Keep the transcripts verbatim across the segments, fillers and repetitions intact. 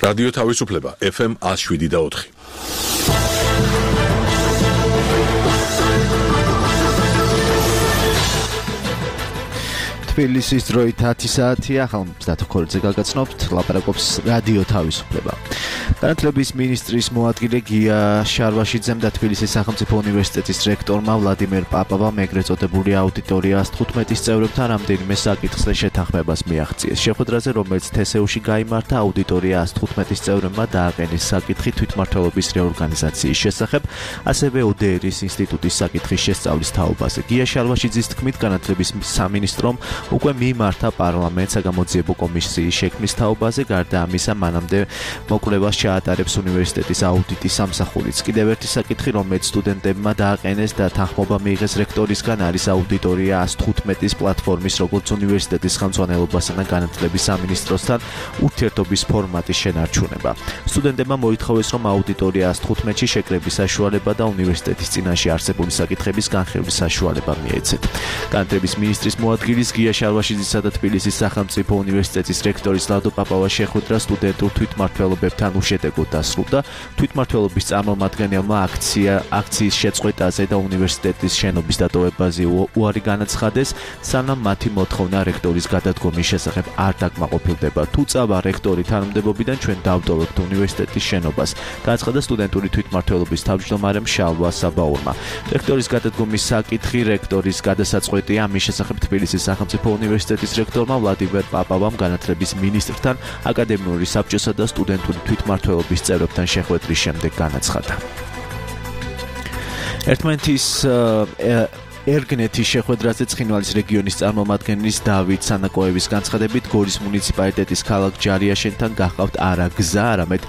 რადიო თავისუფლება ეფ ემ one oh seven და four. თბილისის დროით ათი საათია, ახალ დათოქორიძე გაგაცნობთ, ლაპარაკობს რადიო თავისუფლება. განათლების მინისტრის მოადგილე გია შარვაშიძემ და თბილისის სახელმწიფო უნივერსიტეტის რექტორმა ვლადიმერ პაპავამ ეგრეთ წოდებული აუდიტორიას თხუთმეტის წევრებთან რამდენიმე საკითხზე შეთანხმებას მიაღწიეს. შეხვედრაზე, რომელიც თესეუში გაიმართა, აუდიტორიას თხუთმეტის წევრებმა დააყენეს საკითხი თვითმმართველობის რეორგანიზაციის შესახებ, ასევე ო დე ერის ინსტიტუტის საკითხის შესწავლის თაობაზე. გია შარვაშიძის თქმით, განათლების სამინისტრომ უკვე მიმართა პარლამენტს საგამოძიებო კომისიის შექმნის თაობაზე, გარდა ამისა, მანამდე მოკვლევას ჩაატარებს უნივერსიტეტის აუდიტის სამსახურიც. კიდევ ერთი საკითხი, რომელიც სტუდენტებმა დააყენეს და თანხმობა მიიღეს რექტორისგან, არის აუდიტორია one fifteen-ის პლატფორმის, როგორც უნივერსიტეტის ხელმძღვანელობასა და განათლების სამინისტროსთან ურთიერთობის ფორმატის შენარჩუნება. სტუდენტებმა მოითხოვეს, რომ აუდიტორია one fifteen-ში შეკრების საშუალება და უნივერსიტეტის წინაშე არსებული საკითხების განხილვის საშუალება მიეცეთ. განათლების მინისტრის მოადგილის გია შარვაშიძისა და თბილისის სახელმწიფო უნივერსიტეტის რექტორის ლადო პაპავას შეხვედრა სტუდენტურ თვითმმართველობებთან უშედეგოდ დასრულდა. თვითმმართველობის წარმომადგენელმა აქცია აქციის შეწყვეტაზე და უნივერსიტეტის შენობის დატოვებაზე უარი განაცხადეს, სანამ მათი მოთხოვნა რექტორის გადადგომის შესახებ არ დაკმაყოფილდება. თუ წავა რექტორი თანამდებობიდან, ჩვენ დავტოვებთ უნივერსიტეტის შენობას, განაცხადა სტუდენტური თვითმმართველობის თავმჯდომარემ შალვა საბაურმა. რექტორის გადადგომის საკითხი რექტორის გადასაწყვეტია, ამის შესახებ თბილისის სახელმწიფო უნივერსიტეტის რექტორმა ვლადიმერ პაპავამ განათლების მინისტრთან, აკადემიური საბჭოსა და სტუდენტური თვითმმართველობის წევრებთან შეხვედრის შემდეგ განაცხადა. ერთმანეთის ერგნეთის შეხვედრაზე ცხინვალის რეგიონის წარმომადგენლის დავით სანაკოევის განცხადებით, გორის მუნიციპალიტეტის ქალაქ ჯარიაშენთან გახავთ არა გზა, არამედ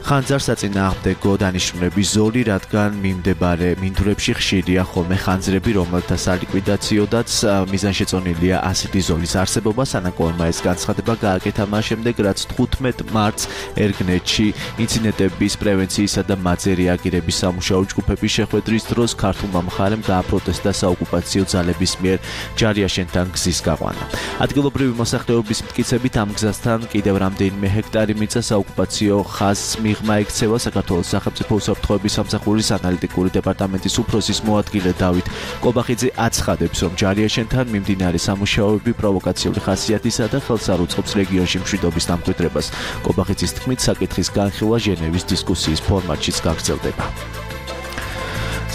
ხანძარს საწინააღმდეგო დანიშნულების ზოლი, რადგან მიმდებარე მინდვრებში ხშირია ხოლმე ხანძრები, რომელთა სალიკვიდაციოდაც მიზანშეწონილია ასეთი ზოლის არსებობა. სანაკოევმა ეს განცხადება გააკეთა მას შემდეგ, რაც თხუთმეტ მარტს ერგნეთში ინციდენტების პრევენციისა და მათზე რეაგირების სამუშაო ჯგუფების შეხვედრის დროს ქართულმა მხარემ გააპროტესტა საოკუპაციო ძალების მიერ ჯარიაშენთან გზის გაყვანა. ადგილობრივი მოსახლეობის მტკიცებით, ამ გზასთან კიდევ რამდენიმე ჰექტარი მიწა საოკუპაციო ხაზს მიღმა ექცევა. საქართველოს სახელმწიფო უსაფრთხოების სამსახურის ანალიტიკური დეპარტამენტის უფროსის მოადგილე დავით კობახიძე აცხადებს, რომ ჯარიაშენთან მიმდინარე სამუშაოები პროვოკაციული ხასიათისა და ხელს არ უწყობს რეგიონში მშვიდობის დამკვიდრებას. კობახიძის თქმით, საკითხის განხილვა ჟენევის დისკუსიის ფორმატშიც გაგრძელდება.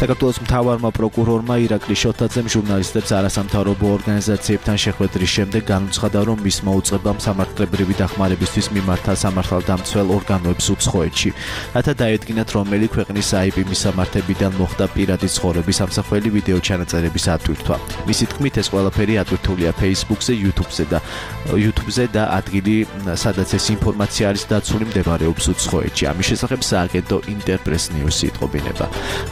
საქართველოს მთავარმა პროკურორმა ირაკლი შოთაძემ ჟურნალისტებს არასამთავრობო ორგანიზაციებთან შეხვედრის შემდეგ განუცხადა, რომ მის მოუწყებამ სამართლებრივი დახმარებისთვის მიმართა სამართალდამცველ ორგანოებს უცხოეთში, რათა დაედგინათ, რომელი ქვეყნის აი პი მისამართებიდან მოხდა პირადი ცხოვრების ამსახველი ვიდეო ჩანაწერების ატვირთვა. მისი თქმით, ეს ყველაფერი ატვირთულია Facebook-ზე, YouTube-ზე და YouTube-ზე და ადგილი, სადაც ეს ინფორმაცია არის დაცული, მდებარეობს უცხოეთში. ამის შესახებ სააგენტო ინტერპრეს ნიუსი იტყობინება.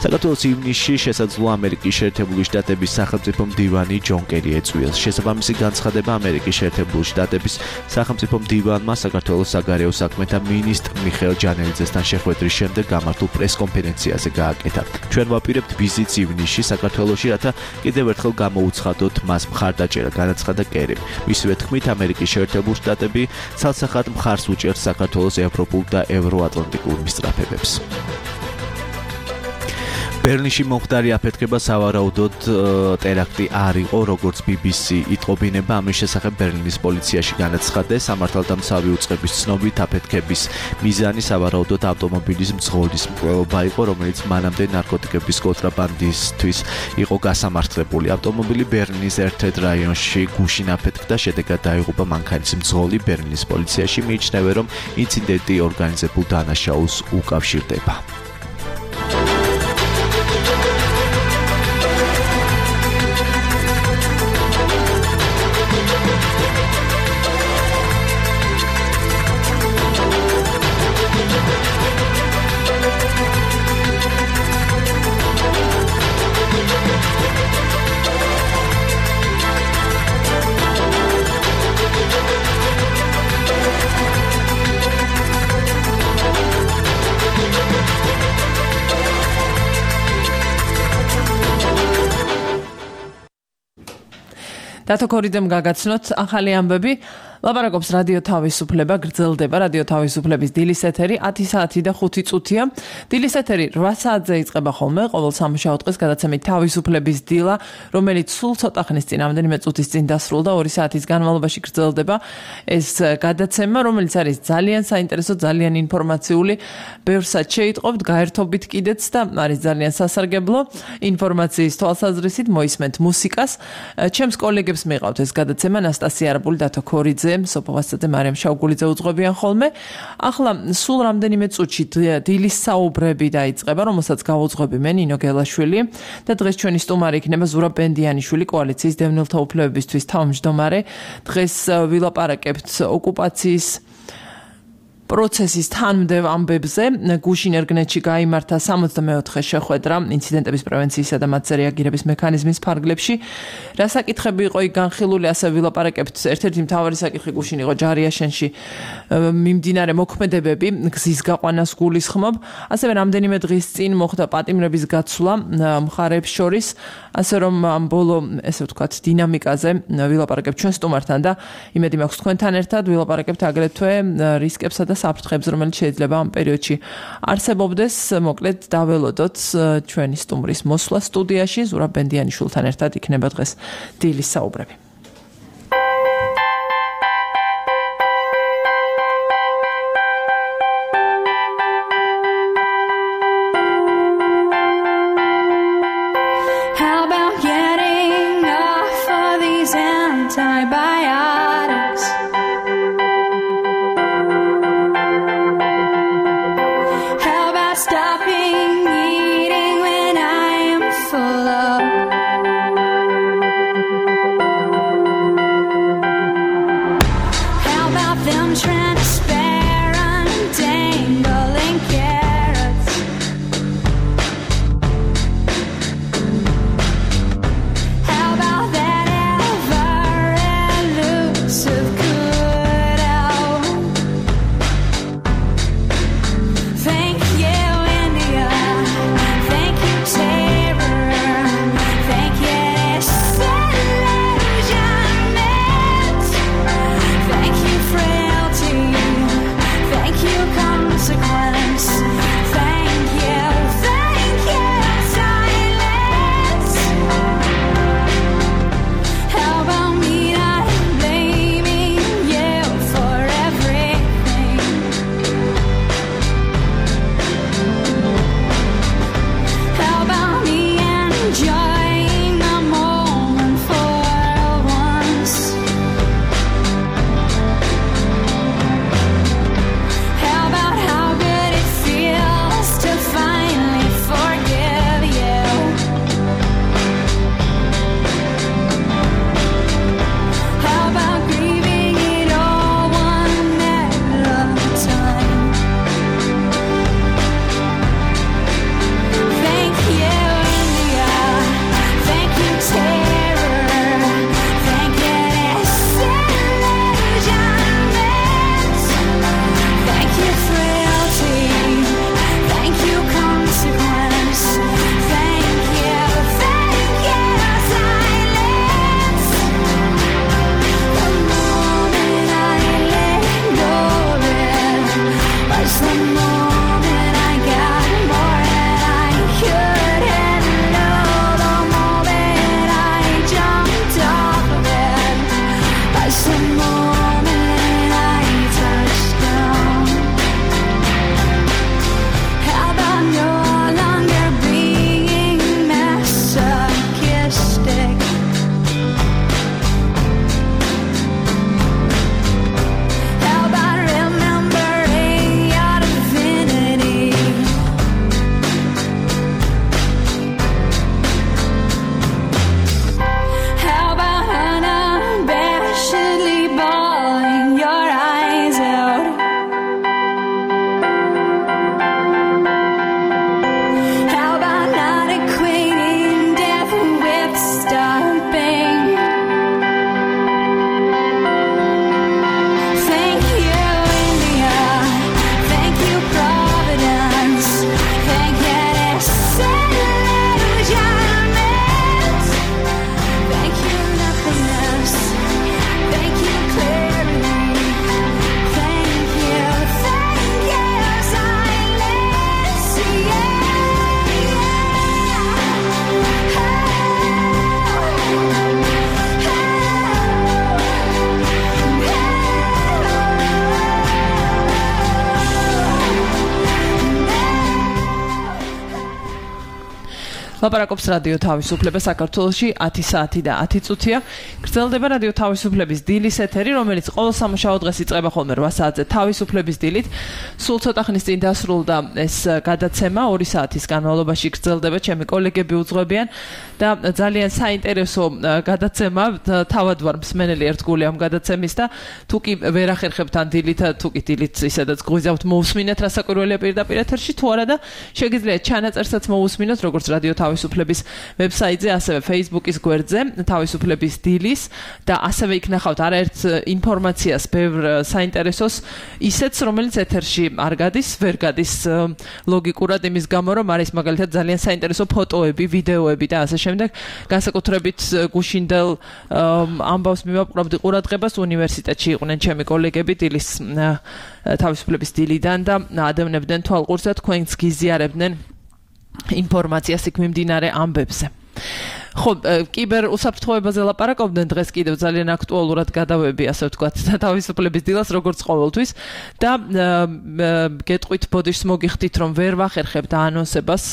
საქართველოს ივნისში შესაძლოა ამერიკის შეერთებული შტატების სახელმწიფო მდივანი ჯონ კერი ეწვიოს. შესაბამისი განცხადება ამერიკის შეერთებული შტატების სახელმწიფო მდივანმა საქართველოს საგარეო საქმეთა მინისტრ მიხეილ ჯანელიძესთან შეხვედრის შემდეგ გამართულ პრესკონფერენციაზე გააკეთა. ჩვენ ვაპირებთ ვიზიტს ივნისში საქართველოში, რათა კიდევ ერთხელ გამოუცხადოთ მას მხარდაჭერა, განაცხადა კერიმ. მისივე თქმით, ამერიკის შეერთებული შტატები ცალსახად მხარს უჭერს საქართველოს ევროპულ და ევროატლანტიკურ მისწრაფებებს. ბერლინში მომხდარი აფეთქება სავარაუდოდ ტერაქტი არ იყო, როგორც ბი ბი სი იტყობინება. ამის შესახებ ბერლინის პოლიციაში განაცხადეს. სამართალდამცავი უწყების ცნობით, აფეთქების მიზანი სავარაუდოდ ავტომობილის მძღოლის მკვლელობა იყო, რომელიც მანამდე ნარკოტიკების კონტრაბანდისთვის იყო გასამართლებული. ავტომობილი ბერლინის ერთ-ერთ რაიონში გუშინ აფეთქდა, შედეგად დაიღუპა მანქანის მძღოლი. ბერლინის პოლიციაში მიიჩნევენ, რომ ინციდენტი ორგანიზებულ დანაშაულს უკავშირდება. დათოქორიძემ გაგაცნოთ ახალი ამბები. ლაპარაკობს რადიო თავისუფლება, გრძელდება რადიო თავისუფლების დილის ეთერი ათი საათი და ხუთი წუთია. დილის ეთერი რვა საათზე იწყება ხოლმე, ყოველ სამუშაო დღეს გადაცემით თავისუფლების დილა, რომელიც სულ ცოტა ხნის წინ, რამდენიმე წუთის წინ დასრულდა, ორი საათის განმავლობაში გრძელდება ეს გადაცემა, რომელიც არის ძალიან საინტერესო, ძალიან ინფორმაციული, ბევრსაც შეიტყობთ, გაერთობით კიდეც და არის ძალიან სასარგებლო ინფორმაციის თვალსაზრისით, მოისმენთ მუსიკას. ჩემს კოლეგებს მიყავთ ეს გადაცემა, ნასტასია არაბული, დათო ქორიძე, სოფო ვასაძე, მარიამ შავგულიძე უძღვებიან ხოლმე. ახლა სულ რამდენიმე წუთში დილის საუბრები დაიწყება, რომელსაც გავუძღვები მე, ნინო გელაშვილი და დღეს ჩვენი სტუმარი იქნება ზურაბ ბენდიანიშვილი, კოალიციის დევნილთა უფლებებისთვის თავმჯდომარე. დღეს ვილაპარაკებთ ოკუპაციის პროცესის თანმდევ ამბებზე. გუშინ ერგნეთში გაიმართა სამოცდამეოთხე შეხვედრა ინციდენტების პრევენციისა და მათზე რეაგირების მექანიზმის ფარგლებში. რა საკითხები იყო იქ განხილული, ასე ვილაპარაკებთ. ერთ-ერთი მთავარი საკითხი გუშინ იყო ჯარიაშენში მიმდინარე მოქმედებები, გზის გაყვანას გულისხმობ. ასევე რამდენიმე დღის წინ მოხდა პატიმრების გაცვლა მხარეებს შორის, ასე რომ ამ ბოლო, ესე ვთქვათ, დინამიკაზე ვილაპარაკებთ ჩვენ სტუმართან და იმედი მაქვს თქვენთან ერთად ვილაპარაკებთ აგრეთვე რისკებსა და საფრთხებს, რომელიც შეიძლება ამ პერიოდში არსებობდეს. მოკლედ დაველოდოთ ჩვენი სტუმრის მოსვლა სტუდიაში, ზურაბ ბენდიანიშვილთან ერთად იქნება დღეს დილის საუბრები. How about getting off all these antibiotics? Stopping eating when I am full of ლაპარაკობს რადიო თავისუფლება საქართველოში ათი საათი და ათი წუთია. გრძელდება რადიო თავისუფლების დილის ეთერი, რომელიც ყოველ სამუშაო დღეს იწყება ხოლმე რვა საათზე თავისუფლების დილით. სულ ცოტა ხნის წინ დასრულდა ეს გადაცემა, ორი საათის განმავლობაში გრძელდება, ჩემი კოლეგები უძღვებიან და ძალიან საინტერესო გადაცემა, თავად ვარ მსმენელი ერთგული ამ გადაცემის და თუ კი ვერ ახერხებთ ან დილით, თუ კი დილით ისედაც გვიზავთ მოусმინეთ რა საკვირველია პირდაპირ ეთერში, თუ არა და შეგიძლიათ ჩანაწერსაც მოусმინოთ, როგორც რადიო თავისუფლების ვებსაიტზე, ასევე Facebook-ის გვერდზე, თავისუფლების დილის და ასევე იქ ნახავთ არაერთ ინფორმაციას, ბევრ საინტერესოს, ისეც, რომელიც ეთერში არ გადის, ვერ გადის ლოგიკურად იმის გამო, რომ არის მაგალითად ძალიან საინტერესო ფოტოები, ვიდეოები და ასე შემდეგ. განსაკუთრებით გუშინდელ ამბავს მივაპყრობდი ყურადღებას, უნივერსიტეტში იყვნენ ჩემი კოლეგები დილის თავისუფლების დილიდან და ადევნებდნენ თვალყურს და თქვენს გიზიარებდნენ ინფორმაციას იქ მიმდინარე ამბებზე. ხო, კიბერ უსაფრთხოებაზე ლაპარაკობდნენ დღეს კიდევ ძალიან აქტუალურად გადავები, ასე ვთქვათ, თავისუფლების დილას, როგორც ყოველთვის და გეტყვით ბოდიშს მოგიხდით, რომ ვერ ვახერხებთ ანონსებას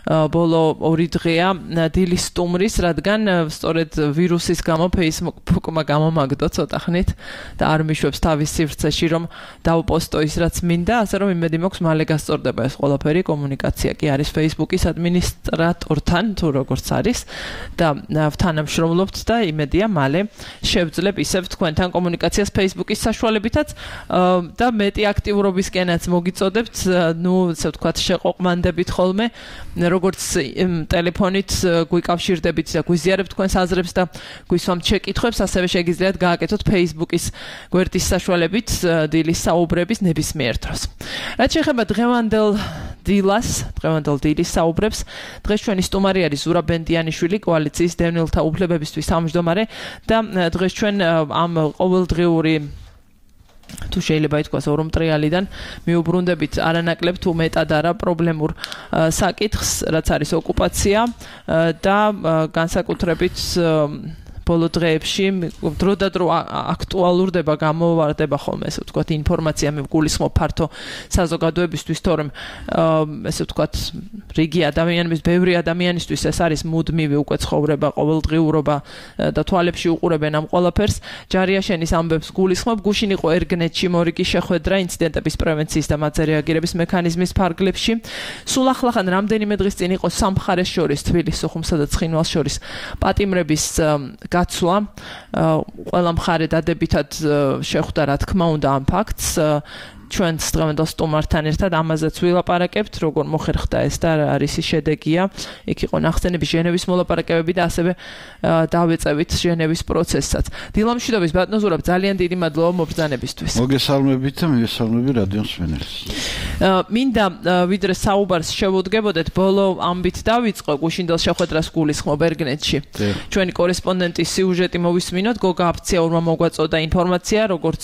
ბოლო ორი დღეა დილის სტუმრის, რადგან სწორედ ვირუსის გამო Facebook-მა გამომაგდო ცოტა ხნით და არ მიშვებს თავის სივრცეში, რომ დავპოსტო ის რაც მინდა, ასე რომ იმედი მაქვს მალე გასწორდება ეს ყველაფერი, კომუნიკაცია კი არის Facebook-ის ადმინისტრატორთან, თუ როგორც არის. და თანამშრომლობთ და იმედია მალე შევძლებ ისევ თქვენთან კომუნიკაციას Facebook-ის საშუალებითაც და მეტი აქტიურობისკენაც მოგიწოდებთ, ნუ ესე ვთქვათ, შეყოყმანდებით ხოლმე, როგორც ტელეფონით გვიკავშირდებით და გვიზიარებთ თქვენს აზრებს და გვისვამთ შეკითხვებს, ასევე შეგიძლიათ გააკეთოთ Facebook-ის გვერდის საშუალებით დილის საუბრების ნებისმიერ დროს. რაც შეეხება დღევანდელ დილას, დღევანდელ დილის საუბრებს, დღეს ჩვენი სტუმარი არის ზურაბ ბენდიანიშვილი, კოალიციის დევნილთა უფლებებისთვის თავმჯდომარე და დღეს ჩვენ ამ ყოველდღიური თუ შეიძლება ითქვას ორომტრიალიდან მიუბრუნდებით არანაკლებ თუ მეტად არა პრობლემურ საკითხს, რაც არის ოკუპაცია და განსაკუთრებით ბოლო დღეებში დრო და დრო აქტუალურდება, გამოვარდება ხოლმე, ესე ვთქვათ, ინფორმაცია მეგულისხმობ ფართო საზოგადოებისთვის, თორემ ესე ვთქვათ, რიგი ადამიანების, ბევრი ადამიანისთვის ეს არის მუდმივი უკვე ცხოვრება, ყოველდღიურობა და თვალებში უყურებენ ამ ყველაფერს. ჯარიაშენის ამბებს გულისხმობ, გუშინ იყო ერგნეტში მორიგი შეხვედრა ინციდენტების პრევენციის და მათზე რეაგირების მექანიზმის ფარგლებში. სულ ახლახან რამდენიმე დღის წინ იყო სამხარეს შორის, თბილისის, სოხუმსა და ცხინვალს შორის პატიმრების გაცვლა, ყველა მხარე დადებითად შეხვდა, რა თქმა უნდა, ამ ფაქტს. ჩვენს დღევანდელ სტუმართან ერთად ამაზეც ვილაპარაკებთ, როგორ მოხერხდა ეს და რა არის ის შედეგია. იქ იყო ნახსენები ჟენევის მოლაპარაკებები და ასევე დავეწევით ჟენევის პროცესსაც. დილამშვიდობის ბატონო ზურაბ, ძალიან დიდი მადლობა მობრძანებისთვის. მოგესალმებით და მიგესალმები რადიო მსმენელს. მინდა ვიდრე საუბარს შევუდგებოდეთ, ბოლო ამბით დავიწყო გუშინდელ შეხვედრას გულისხმობ ერგნეტში. ჩვენი კორესპონდენტის სიუჟეტი მოვისმინოთ, გოგა აფციაურმა მოგვაწოდა ინფორმაცია, როგორც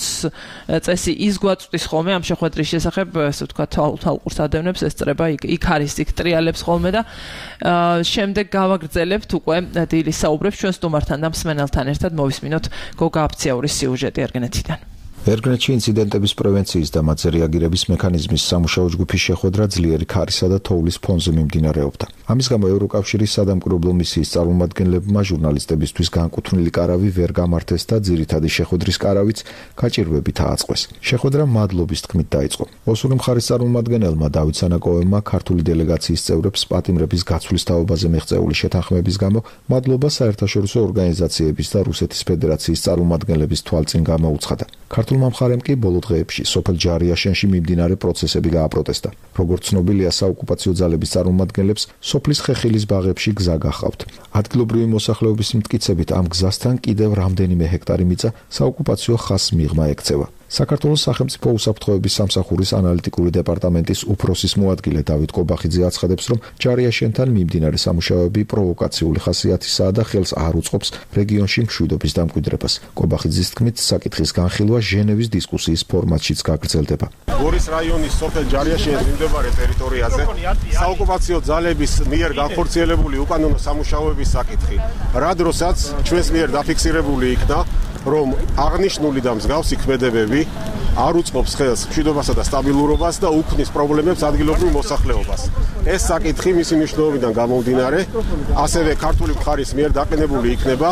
წესი ის გვაწვდის ხოლმე ამ შეხვედრის შესახებ, ესე ვთქვათ, თვალყურს ადევნებს, ესწრება იქ იქ არის იქ ტრიალებს ხოლმე და შემდეგ გავაგრძელებთ უკვე დილის საუბრებს ჩვენ სტუმართან და მსმენელთან ერთად მოვისმინოთ გოგა აფციაურის სიუჟეტი ერგნეტიდან. ერგნეტში ინციდენტების პრევენციის და მათზე რეაგირების მექანიზმის სამუშაო ჯგუფის შეხვედრა ძლიერი ქარისა და თოვლის ფონზე მიმდინარეობდა. ამის გამო ევროკავშირის სადამკვირვებლო მისიის წარმომადგენლებმა ჟურნალისტებისთვის განკუთვნილი კარავი ვერ გამართეს და ძირითადი შეხვედრის კარავიც გაჭირვებით ააწყვეს. შეხვედრა მადლობის თქმით დაიწყო. ოსური მხარის წარმომადგენელმა დავით სანაკოევმა ქართული დელეგაციის წევრებს პატიმრების გაცვლის თაობაზე მიღწეული შეთანხმების გამო მადლობა საერთაშორისო ორგანიზაციების და რუსეთის ფედერაციის წარმომადგენლების თვალწინ გამოუცხადა. ქართულმა მხარემ კი ბოლო დღეებში სოფელ ჯარიაშენში მიმდინარე პროცესები გააპროტესტა. როგორც ცნობილია, საოკუპაციო ძალების წარმომადგენლებს სოფლის ხეხილის ბაღებში გზა გაჰყავთ. ადგილობრივი მოსახლეობის მტკიცებით ამ გზასთან კიდევ რამდენიმე ჰექტარი მიწა საოკუპაციო ხაზს მიღმა ექცევა. საქართველოს სახელმწიფო უსაფრთხოების სამსახურის ანალიტიკური დეპარტამენტის უფროსის მოადგილე დავით კობახიძე აცხადებს, რომ ჯარიაშენთან მიმდინარე სამუშაოები პროვოკაციული ხასიათისაა და ხელს არ უწყობს რეგიონში მშვიდობის დამკვიდრებას. კობახიძის თქმით, საკითხის განხილვა ჟენევის დისკუსიის ფორმატშიც გაგრძელდება. გორის რაიონის სოფელ ჯარიაშენის მიმდებარე ტერიტორიაზე საოკუპაციო ძალების მიერ განხორციელებული უკანონო სამუშაოების საკითხი, რა დროსაც ჩვენს მიერ დაფიქსირებული იქნა, რომ აღნიშნული და მსგავსი ქმედებები არ უწყობს ხელს მშვიდობასა და სტაბილურობას და უქმნის პრობლემებს ადგილობრივ მოსახლეობას. ეს საკითხი მისი მნიშვნელობიდან გამომდინარე, ასევე ქართული მხარის მიერ დაყენებული იქნება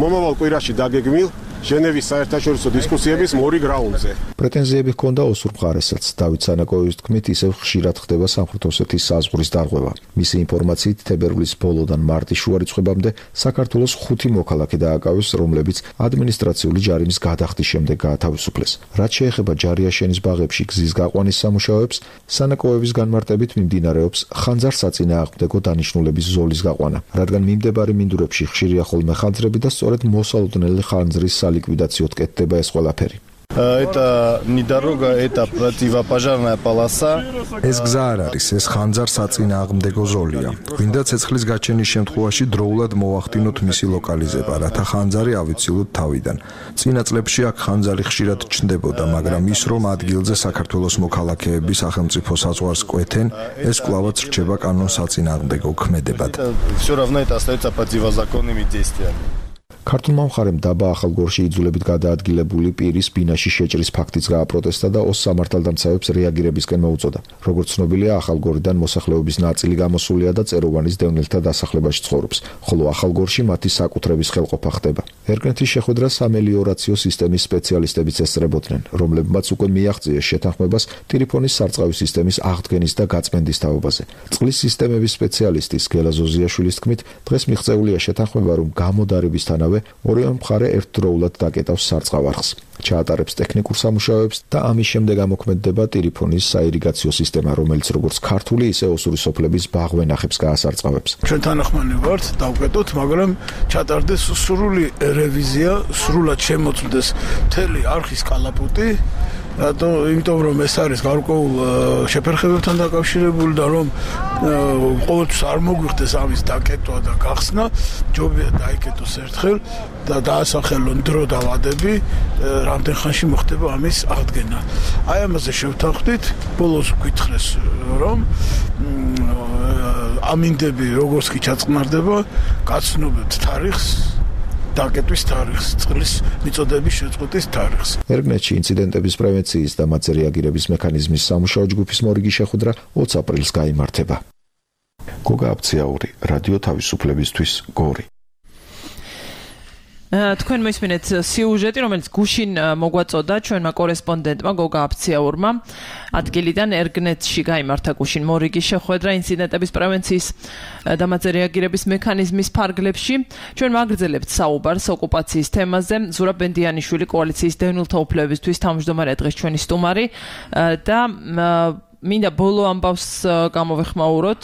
მომავალ კვირაში დაგეგმილ ჟენევის საერთაშორისო დისკუსიების მორიგ რაუნდზე. პრეტენზიები ჰქონდა ოსურ მხარესაც. დავით სანაკოევის თქმით, ისევ ხშირად ხდება სამხრეთ-ოსეთის საზღვრის დარღვევა. მისი ინფორმაციით, თებერვლის ბოლოდან მარტის შუა რიცხვებამდე საქართველოს ხუთი მოქალაქე დააკავეს, რომლებიც ადმინისტრაციული ჯარიმის გადახდის შემდეგ გაათავისუფლეს. რაც შეეხება ჯარიაშენის ბაღებში გზის გაყვანის სამუშაოებს, სანაკოევის განმარტებით მიმდინარეობს ხანძარსაწინააღმდეგო დანიშნულების ზოლის გაყვანა, რადგან მიმდებარე მინდვრებში ხშირია ხოლმე ხანძრები და სწორედ მოსალოდნელი ხანძრის ლიკვიდაციოდ კეთდება ეს ყველაფერი. Это не дорога, это противопожарная полоса. ეს გზა არ არის, ეს ხანძარ-საწინააღმდეგო ზოლია. გვინდა ცეცხლის გაჩენის შემთხვევაში დროულად მოვახდინოთ მისი ლოკალიზება, რათა ხანძარი ავიცილოთ თავიდან. წინა წლებში აქ ხანძარი ხშირად ჩნდებოდა, მაგრამ ის რომ ადგილზე საქართველოს მოქალაქეები სახელმწიფო საზღვარს კვეთენ, ეს კვლავაც რჩება კანონსაწინააღმდეგო ქმედებად. Всё равно это остается противозаконными действиями. ქართულმა მხარემ დაბა ახალგორში იძულებით გადაადგილებული პირის ბინაში შეჭრის ფაქტიც გააპროტესტა და ოს სამართალდამცავებს რეაგირებისკენ მოუწოდა. როგორც ცნობილია, ახალგორიდან მოსახლეობის ნაწილი გამოსულია და წეროვანის დევნილთა დასახლებაში ცხოვრობს, ხოლო ახალგორში მათი საკუთრების ხელყოფა ხდება. ერგენთის შეხვედრა სამელიორაციო სისტემის სპეციალისტებიც ესწრებოდნენ, რომლებმაც უკვე მიაღწიეს შეთანხმებას ტირიფონის სარწყავი სისტემის აღდგენის და გაწმენდის თაობაზე. წყლის სისტემების სპეციალისტის გელა ზოზიაშვილის თქმით, დღეს მიღწეულია შეთანხმება, რომ გამოდარებისთანავე ორივე მხარე ერთდროულად დაკეტავს სარწყავ არხს, ჩაატარებს ტექნიკურ სამუშაოებს და ამის შემდეგ ამოქმედდება ტირიფონის საირიგაციო სისტემა, რომელიც როგორც ქართული, ისე ოსური სოფლების ბაღვენახებს გაასარწყავებს. ჩვენ თანახმანი ვართ, დავკეტოთ, მაგრამ ჩატარდეს სრული რევიზია, სრულად შემოწმდეს მთელი არხის კალაპოტი. რატო? იმიტომ რომ ეს არის გარკვეულ შეფერხებებთან დაკავშირებული და რომ ყოველთვის არ მოგვიხდეს ამის დაკეტვა და გახსნა, ჯობია დაიკეტოს ერთხელ და დაასახელონ დრო და ვადები, რამდენ ხანში მოხდება ამის აღდგენა. აი ამაზე შევთანხმდით, ბოლოს გითხრეს რომ ამინდები როგორც კი ჩაწყნარდება, გაცნობებთ თარიღს დაკეტვის თარიღს, წყლის მიწოდების შეწყვეტის თარიღს. ერგნეთში ინციდენტების პრევენციის და მათზე რეაგირების მექანიზმის სამუშაო ჯგუფის მორიგი შეხვედრა ოცი აპრილს გაიმართება. გოგა აფციაური, რადიო თავისუფლებისთვის, გორი. თქვენ მოისმინეთ სიუჟეტი, რომელიც გუშინ მოგვაწოდა ჩვენმა კორესპონდენტმა გოგა აფციაურმა. ადგილიდან ერგნეთში გაიმართა გუშინ მორიგი შეხვედრა ინციდენტების პრევენციის და მათზე რეაგირების მექანიზმის ფარგლებში. ჩვენ ვაგრძელებთ საუბარს ოკუპაციის თემაზე. ზურაბ ბენდიანიშვილი, კოალიციის დევნილთა უფლებებისთვის თავმჯდომარე დღეს ჩვენი სტუმარი და მინდა ბოლო ამბავს გამოვეხმაუროთ.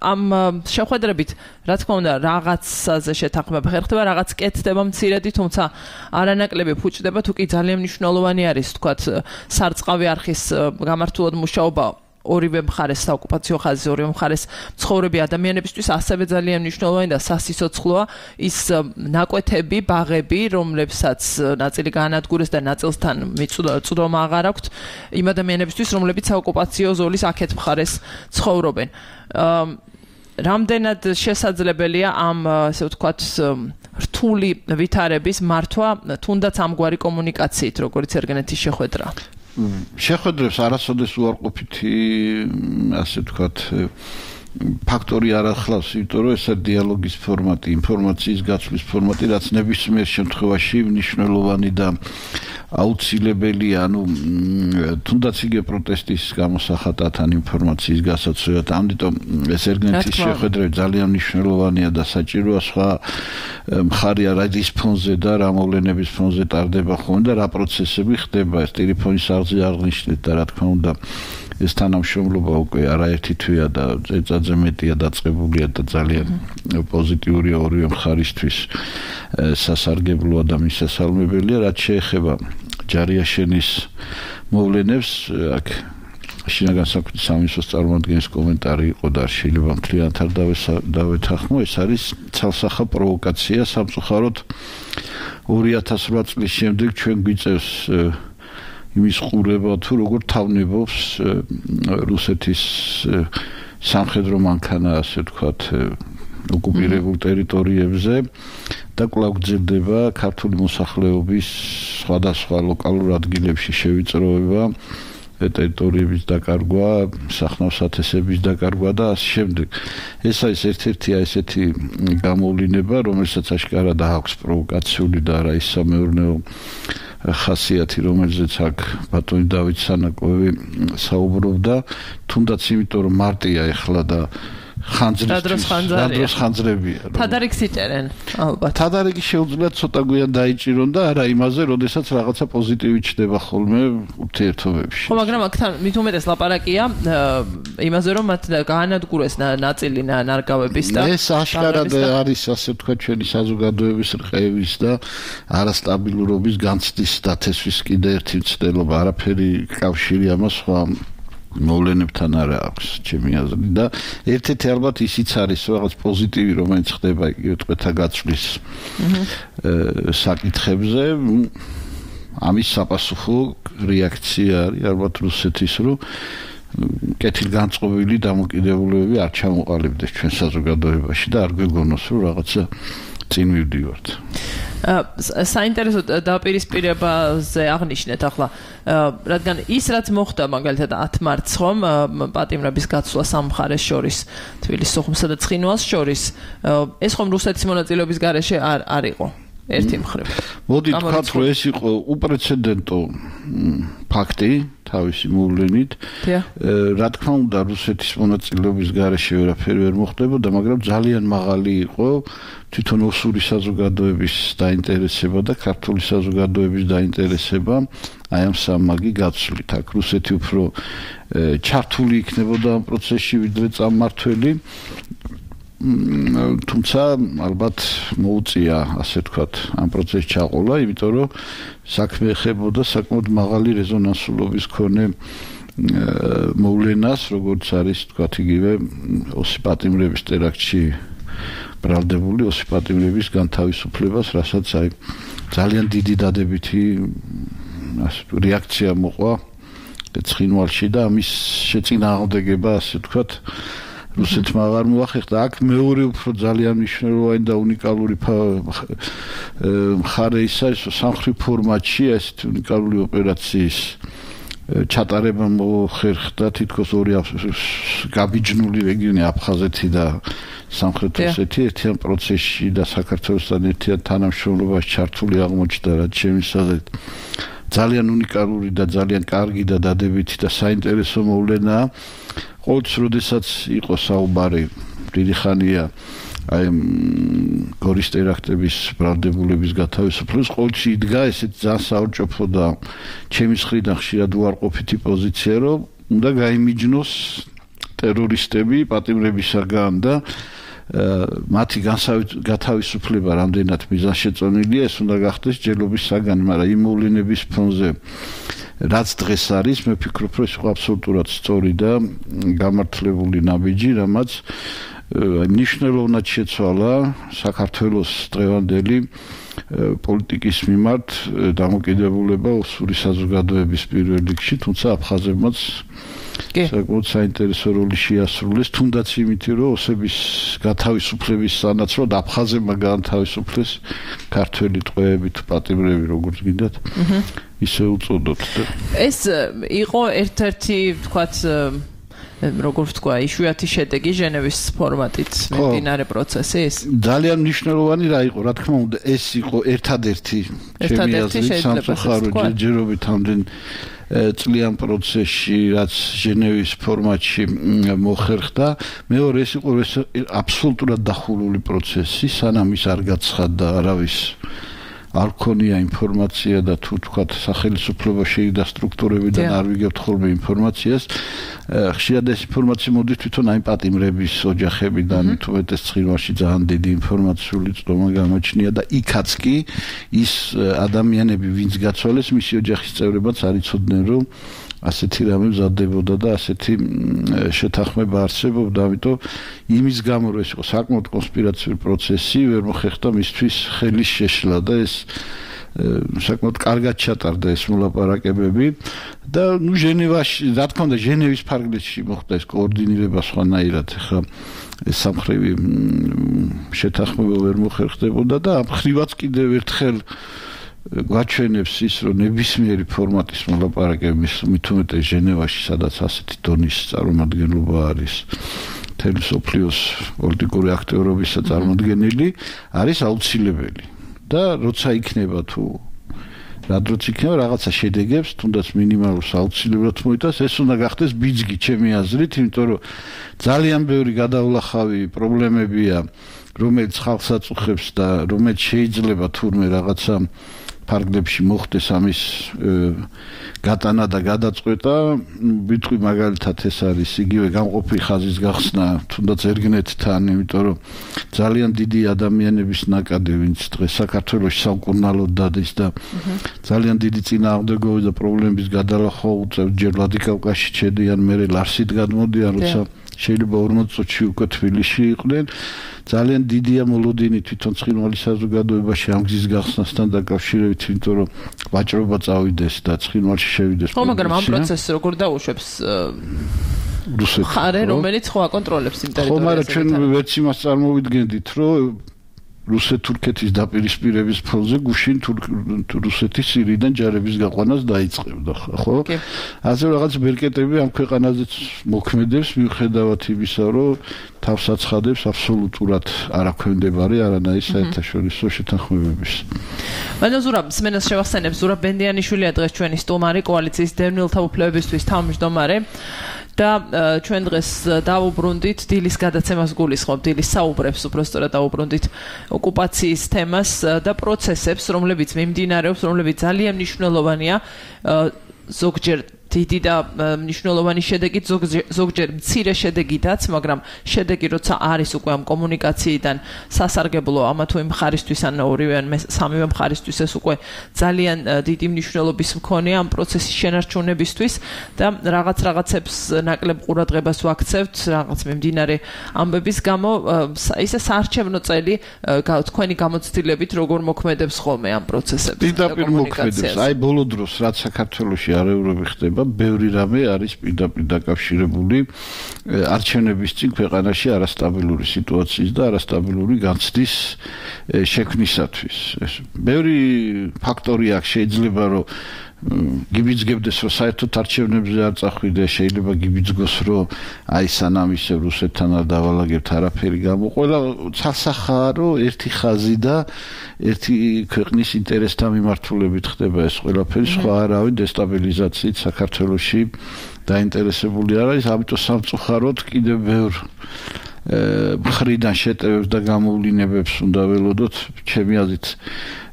ამ შეხვედრებით, რა თქმა უნდა, რაღაცაზე შეთანხმება ხერხდება, რაღაც კეთდება მცირედი, თუმცა არანაკლები ფუჭდება, თუ კი ძალიან მნიშვნელოვანი არის, თქვათ, სარწყავი არხის გამართულად მუშაობა ორივე მხარეს, საოკუპაციო ხაზის ორივე მხარეს მცხოვრები ადამიანებისთვის ასევე ძალიან მნიშვნელოვანი და სასიცოცხლოა ის ნაკვეთები, ბაღები, რომლებსაც ნაწილი გაანადგურეს და ნაწილსთან მიწვდომა აღარ აქვთ იმ ადამიანებისთვის, რომლებიც საოკუპაციო ზოლის აქეთ მხარეს ცხოვრობენ. რამდენად შესაძლებელია ამ, ასე ვთქვათ, რთული ვითარების მართვა, თუნდაც ამგვარი კომუნიკაციით, როგორც ერგენეთის შეხვედრა? შეხვედრებს არასოდეს უარყოფითი, ასე ვთქვათ, ფაქტორი არ ახლავს, იმიტომ რომ ეს დიალოგის ფორმატი, ინფორმაციის გაცვლის ფორმატი, რაც ნებისმიერ შემთხვევაში მნიშვნელოვანი და აუცილებელია, ანუ თუნდაც იგივე პროტესტის გამოსახატად ან ინფორმაციის გასაცვლელად, ამიტომ ეს ერგენეთის შეხვედრა ძალიან მნიშვნელოვანია და საჭიროა. სხვა მხარი არის ფონზე და რა მოვლენების ფონზე ტარდება ხოლმე და რა პროცესები ხდება, ეს ტელეფონის არხზე აღნიშნეთ და რა თქმა უნდა ეს თანამშრომლობა უკვე არაერთი თვეა და წელიწადზე მეტია დაწყებულია და ძალიან პოზიტიურია ორივე მხარისთვის, სასარგებლოა და მისასალმებელია. რაც შეეხება ჯარიაშენის მოვლენებს, აქ შინაგან საქმეთა სამინისტროს წარმომადგენლის კომენტარი იყო და შეიძლება მთლიანად არ დავეთანხმო, ეს არის ცალსახა პროვოკაცია. სამწუხაროდ ორი ათას რვა წლის შემდეგ ჩვენ გვიწევს იმის ყურება, თუ როგორ თავნებობს რუსეთის სამხედრო მანქანა, ასე ვთქვათ, ოკუპირებულ ტერიტორიებზე და კვლავ გრძელდება ქართული მოსახლეობის სხვადასხვა ლოკალურ ადგილებში შევიწროება, ტერიტორიების დაკარგვა, სახნავსათესების დაკარგვა და ასე შემდეგ. ეს არის ერთ-ერთი ესეთი გამოვლინება, რომელსაც აშკარად აქვს პროვოკაციული და არა ის სამეურნეო ხასიათი, რომელზეც აქ ბატონი დავით სანაკოევი საუბრობდა, თუნდაც იმიტომ რომ მარტია ეხლა და ხანძრისთვის რადროს ხანძრებია. თადარიგს იჭერენ, ალბათ. თადარიგი შეუძლია ცოტა გვიან დაიჭირონ და არა იმაზე, როდესაც რაღაცა პოზიტივი ჩდება ხოლმე ურთიერთობებში. ხო, მაგრამ აქთან მით უმეტეს ლაპარაკია იმაზე, რომ მათ გაანადგურეს ნაწილი ნარგავების და ეს აშკარად არის, ასე ვთქვათ, ჩვენი საზოგადოების რყევის და არასტაბილურობის განცდის დათესვის კიდე ერთი მცდელობა, არაფერი კავშირი ამას სხვა მოვლენებთან არა აქვს ჩემი აზრით და ერთ-ერთი ალბათ ისიც არის რაღაც პოზიტივი რომელიც ხდება იგივე ტყვეთა გაცვლის საკითხებზე ამის საპასუხო რეაქცია არის ალბათ რუსეთის რომ კეთილგანწყობილი დამოკიდებულებები არ ჩამოყალიბდეს ჩვენ საზოგადოებაში და არ გვეგონოს რომ რაღაცა წინ მივდივართ. საინტერესო დაპირისპირებაზე აღნიშნეთ ახლა, რადგან ის რაც მოხდა მაგალითად ათ მარტს ხომ პატიმრების გაცვლა სამ მხარეს შორის, თბილისის სოხუმსა და ცხინვალს შორის, ეს ხომ რუსეთის მონაწილეობის გარეშე არ არ იყო. ერთი მხრივ. მოდი თქვათ რომ ეს იყო უპრეცედენტო ფაქტი თავისი მოვლენით. რა თქმა უნდა რუსეთის მონაწილეობის გარეშე ვერაფერი ვერ მოხდებოდა, მაგრამ ძალიან მაღალი იყო თვითონ ოსური საზოგადოების დაინტერესება და ქართული საზოგადოების დაინტერესება აი ამ სამმაგი გაცვლით. აქ რუსეთი უფრო ჩართული იქნებოდა ამ პროცესში ვიდრე წარმმართველი. თუმცა ალბათ მოუწია ასე ვთქვათ ამ პროცესში ჩაყოლა, იმიტომ რომ საქმე ეხებოდა საკმაოდ მაღალი რეზონანსულობის მქონე მოვლენას, როგორც არის ვთქვათ იგივე ოსი პატიმრების ტერაქტში ბრალდებული ოსი პატიმრების განთავისუფლებას, რასაც აი ძალიან დიდი დადებითი რეაქცია მოყვა ცხინვალში და ამის შეწინააღმდეგება ასე ვთქვათ რუსეთმა აღარ მოახერხა. აქ მეორე უფრო ძალიან მნიშვნელოვანი და უნიკალური მხარე ის არის, რომ სამხრეთ ფორმატში ესეთი უნიკალური ოპერაციის ჩატარება მოხერხდა თითქოს ორი გაბიჯნული რეგიონი აფხაზეთი და სამხრეთ ოსეთი ერთიან პროცესში და საქართველოსთან ერთიან თანამშრომლობაში ჩართული აღმოჩნდა, რაც ჩემს აზრით ძალიან უნიკალური და ძალიან კარგი და დადებითი და საინტერესო მოვლენაა. ყოველთვის როდესაც იყო საუბარი დიდი ხანია აი გორის ტერაქტების ბრალდებულების გათავისუფლების, ყოველთვის იდგა ესეთ ძალიან საორჭოფო და ჩემის მხრიდან ხშირად უარყოფითი პოზიცია, რომ უნდა გაიმიჯნოს ტერორისტები პატიმრებისაგან და მათი გათავისუფლება რამდენად მიზანშეწონილია, ეს უნდა გახდეს ჯერობის საგანი, მაგრამ იმ მოვლენების ფონზე რაც დღეს არის, მე ვფიქრობ, რომ ეს იყო აბსოლუტურად სწორი და გამართლებული ნაბიჯი, რამაც მნიშვნელოვნად შეცვალა საქართველოს დღევანდელი პოლიტიკის მიმართ დამოკიდებულება ოსური საზოგადოების პირველ რიგში, თუმცა აფხაზებმაც საკმაოდ საინტერესო როლი შეასრულეს, თუნდაც იმით, რომ ოსების გათავისუფლების სანაცვლოდ აფხაზებმა გაანთავისუფლეს ქართველი ტყვეები თუ პატიმრები, როგორც გინდათ, ისე უწოდოთ. ეს იყო ერთ-ერთი, ვთქვათ, როგორ ვთქვა, იშვიათი შედეგი ჟენევის ფორმატით მიმდინარე პროცესის. ძალიან მნიშვნელოვანი რა იყო, რა თქმა უნდა, ეს იყო ერთადერთი ჩემი აზრით სამწუხარო ჯერჯერობით ამდენ წლიან პროცესში, რაც ჟენევის ფორმატში მოხერხდა. მეორე ეს იყო აბსოლუტურად დახურული პროცესი, სანამ ის არ გაცხადდა არავის არ ქონია ინფორმაცია და თუ თქვათ სახელმწიფო შეიდა სტრუქტურებიდან არ ვიგებთ ხოლმე ინფორმაციას. ხშირად ეს ინფორმაცია მოდის თვითონ აი პატიმრების ოჯახებიდან, თუ მეტეს ცხინვალში ძალიან დიდი ინფორმაციული წდომა გამოჩნია და იქაც კი ის ადამიანები, ვინც გაცვალეს, მისი ოჯახის წევრებიც არ იცოდნენ, რომ ასეთი რამე მზადდებოდა და ასეთი შეთანხმება არსებობდა, ამიტომ იმის გამო რომ ეს იყო საკმაოდ კონსპირაციული პროცესი, ვერ მოხერხდა მისთვის ხელის შეშლა და ეს საკმაოდ კარგად ჩატარდა ეს მოლაპარაკებები და ნუ ჟენევაში, რა თქმა უნდა, ჟენევის ფარგლებში მოხდა ეს კოორდინირება სხვანაირად, ხა ეს სამხრივი შეთანხმება ვერ მოხერხდებოდა და ამ ხრივაც კიდევ ერთხელ გვაჩვენებს ის, რომ ნებისმიერი ფორმატის მოლაპარაკებების მით უმეტეს ჟენევაში, სადაც ასეთი დონის წარმომადგენლობა არის მთელი მსოფლიოს პოლიტიკური აქტიურობისა წარმოდგენილი, არის აუცილებელი. და როცა იქნება თუ რა დროც იქნება რაღაცა შედეგებს, თუნდაც მინიმალურს აუცილებლად მოიტანს, ეს უნდა გახდეს ბიძგი ჩემი აზრით, იმიტომ რომ ძალიან ბევრი გადავლახავი პრობლემებია, რომელიც ხალხს აწუხებს და რომელიც შეიძლება თურმე რაღაცა ფარგლებში მოხდეს ამის გატანა და გადაწყვეტა. ვიტყვი მაგალითად ეს არის იგივე გამყოფი ხაზის გახსნა თუნდაც ერგნეთთან, იმიტომ რომ ძალიან დიდი ადამიანების ნაკადი, ვინც დღეს საქართველოში სამკურნალოდ დადის და ძალიან დიდი წინააღმდეგობები და პრობლემების გადალახვა უწევს, ჯერ ვლადიკავკაზში ჩედიან, მერე ლარსით გადმოდიან, როცა შეიძლება ორმოც წუთში უკვე თბილისში იყვნენ. ძალიან დიდია მოლოდინი თვითონ ცხინვალის საზოგადოებაში ამ გზის გახსნასთან დაკავშირებით, იმიტომ რომ ვაჭრობა წავიდეს და ცხინვალში შევიდეს. ხო, მაგრამ ამ პროცესს როგორ დაუშვებს რუსეთი? ხარე, რომელიც ხო აკონტროლებს იმ ტერიტორიას. ხო, მაგრამ ჩვენ ვერც იმას წარმოვიდგენდით, რომ რუსეთ-თურქეთის დაპირისპირების ფონზე გუშინ რუსეთის სირიიდან ჯარების გაყვანას დაიწყებდა, ხო? ასე რაღაც ბერკეტები ამ ქვეყანაზეც მოქმედებს, მიუხედავად იმისა, რომ თავს აცხადებს აბსოლუტურად არაქვემდებარე არანაირი საერთაშორისო შეთანხმებების. მაგრამ ზურაბ სმენას შევახსენებს, ზურაბ ბენდიანიშვილია დღეს ჩვენი სტუმარი, კოალიციის დევნილთა უფლებებისთვის თავმჯდომარე. და ჩვენ დღეს დავუბრუნდით დილის გადაცემას გულისხმობ, დილის საუბრებს უბრალოდ დავუბრუნდით ოკუპაციის თემას და პროცესებს, რომლებიც მიმდინარეობს, რომლებიც ძალიან მნიშვნელოვანია, ზოგჯერ დიდი და მნიშვნელოვანი შედეგით, ზოგჯერ მცირე შედეგითაც, მაგრამ შედეგი როცა არის უკვე ამ კომუნიკაციიდან სასარგებლო ამა თუ იმ მხარისთვის ან ორივე ან სამივე მხარისთვის, ეს უკვე ძალიან დიდი მნიშვნელობის მქონეა ამ პროცესის შენარჩუნებისთვის და რაღაც რაღაცებს ნაკლებ ყურადღებას ვაქცევთ, რაღაც მიმდინარე ამბების გამო, ისე საარჩევნო წელი თქვენი გამოცდილებით როგორ მოქმედებს ხოლმე ამ პროცესებს? პირდაპირ მოქმედებს. აი ბოლო დროს რაც საქართველოში არეულები ხდება, ბევრი რამე არის პირდაპირ დაკავშირებული არჩევნების წინ ქვეყანაში არასტაბილური სიტუაციის და არასტაბილური განცდის შექმნისათვის. ბევრი ფაქტორი აქვს, შეიძლება რომ გიბიძგებდეს, რომ საერთოდ არჩევნებზე არ წახვიდე, შეიძლება გიბიძგოს, რომ აი სანამ ისე რუსეთთან არ დავალაგებთ არაფერი გამოყოლა, ცალსახაა, რომ ერთი ხაზი და ერთი ქვეყნის ინტერესთა მიმართულებით ხდება ეს ყველაფერი, სხვა არავინ დესტაბილიზაციით საქართველოში დაინტერესებული არ არის, ამიტომ სამწუხაროდ კიდევ ბევრ მხრიდან შეტევებს და გამოვლინებებს უნდა ველოდოთ. ჩემი აზრით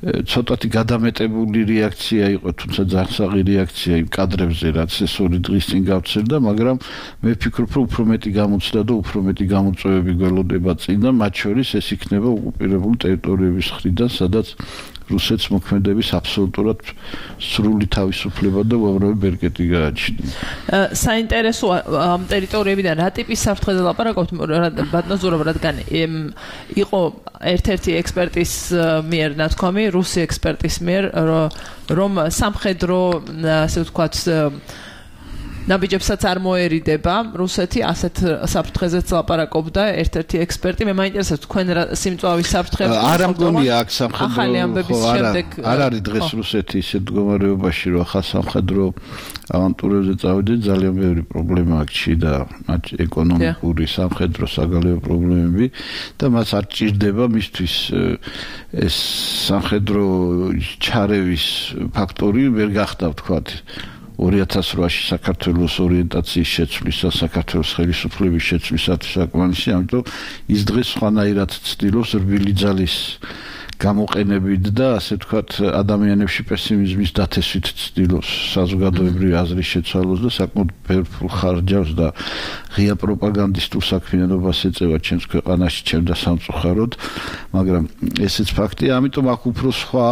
ცოტათი გადამეტებული რეაქცია იყო, თუმცა ძარცაღი რეაქცია იმ კადრებზე, რაც ეს ორი დღის წინ გავცერდა, მაგრამ მე ვფიქრობ, რომ უფრო მეტი გამოცდა და უფრო მეტი გამოწვევები გველოდება წინ და მათ შორის ეს იქნება ოკუპირებული ტერიტორიების მხრიდან, სადაც რუსეთს მოქმედების აბსოლუტურად სრული თავისუფლება და უამრავი ბერკეტი გააჩნია. საინტერესოა ამ ტერიტორიებიდან რა ტიპის საფრთხეზე ლაპარაკობთ, ბატონო ზურაბ, რადგან იყო ერთ-ერთი ექსპერტის მიერ ნათქვამი, რუსი ექსპერტის მიერ, რომ სამხედრო, ასე ვთქვათ, ნაბიჯებსაც არ მოერიდება რუსეთი, ასეთ საფრთხეზეც ლაპარაკობდა ერთ-ერთი ექსპერტი. მე მაინტერესებს თქვენ სიმწვავის საფრთხეები არ ამგონია აქ სამხედრო არ არის დღეს რუსეთი ისეთ მდგომარეობაში, რომ ახალ სამხედრო ავანტურებზე წავიდეს, ძალიან ბევრი პრობლემა აქვს და მათ ეკონომიკური, სამხედრო, საგარეო პრობლემები და მას არ ჭირდება მისთვის ეს სამხედრო ჩარევის ფაქტორი ვერ გახდა, ვთქვათ, ორი ათას რვაში საქართველოს ორიენტაციის შეცვლის და საქართველოს ხელისუფლების შეცვლისათვის საკმარისი, ამიტომ ის დღეს სხვანაირად ცდილობს რბილი ძალის გამოყენებით და ასე ვთქვათ ადამიანებში პესიმიზმის დათესვით ცდილობს საზოგადოებრივი აზრის შეცვალოს და საკმაოდ ბევრ ხარჯავს და ღია პროპაგანდისტულ საქმიანობას ეწევა ჩემს ქვეყანაში, ჩემ და სამწუხაროდ, მაგრამ ესეც ფაქტია, ამიტომ აქ უფრო სხვა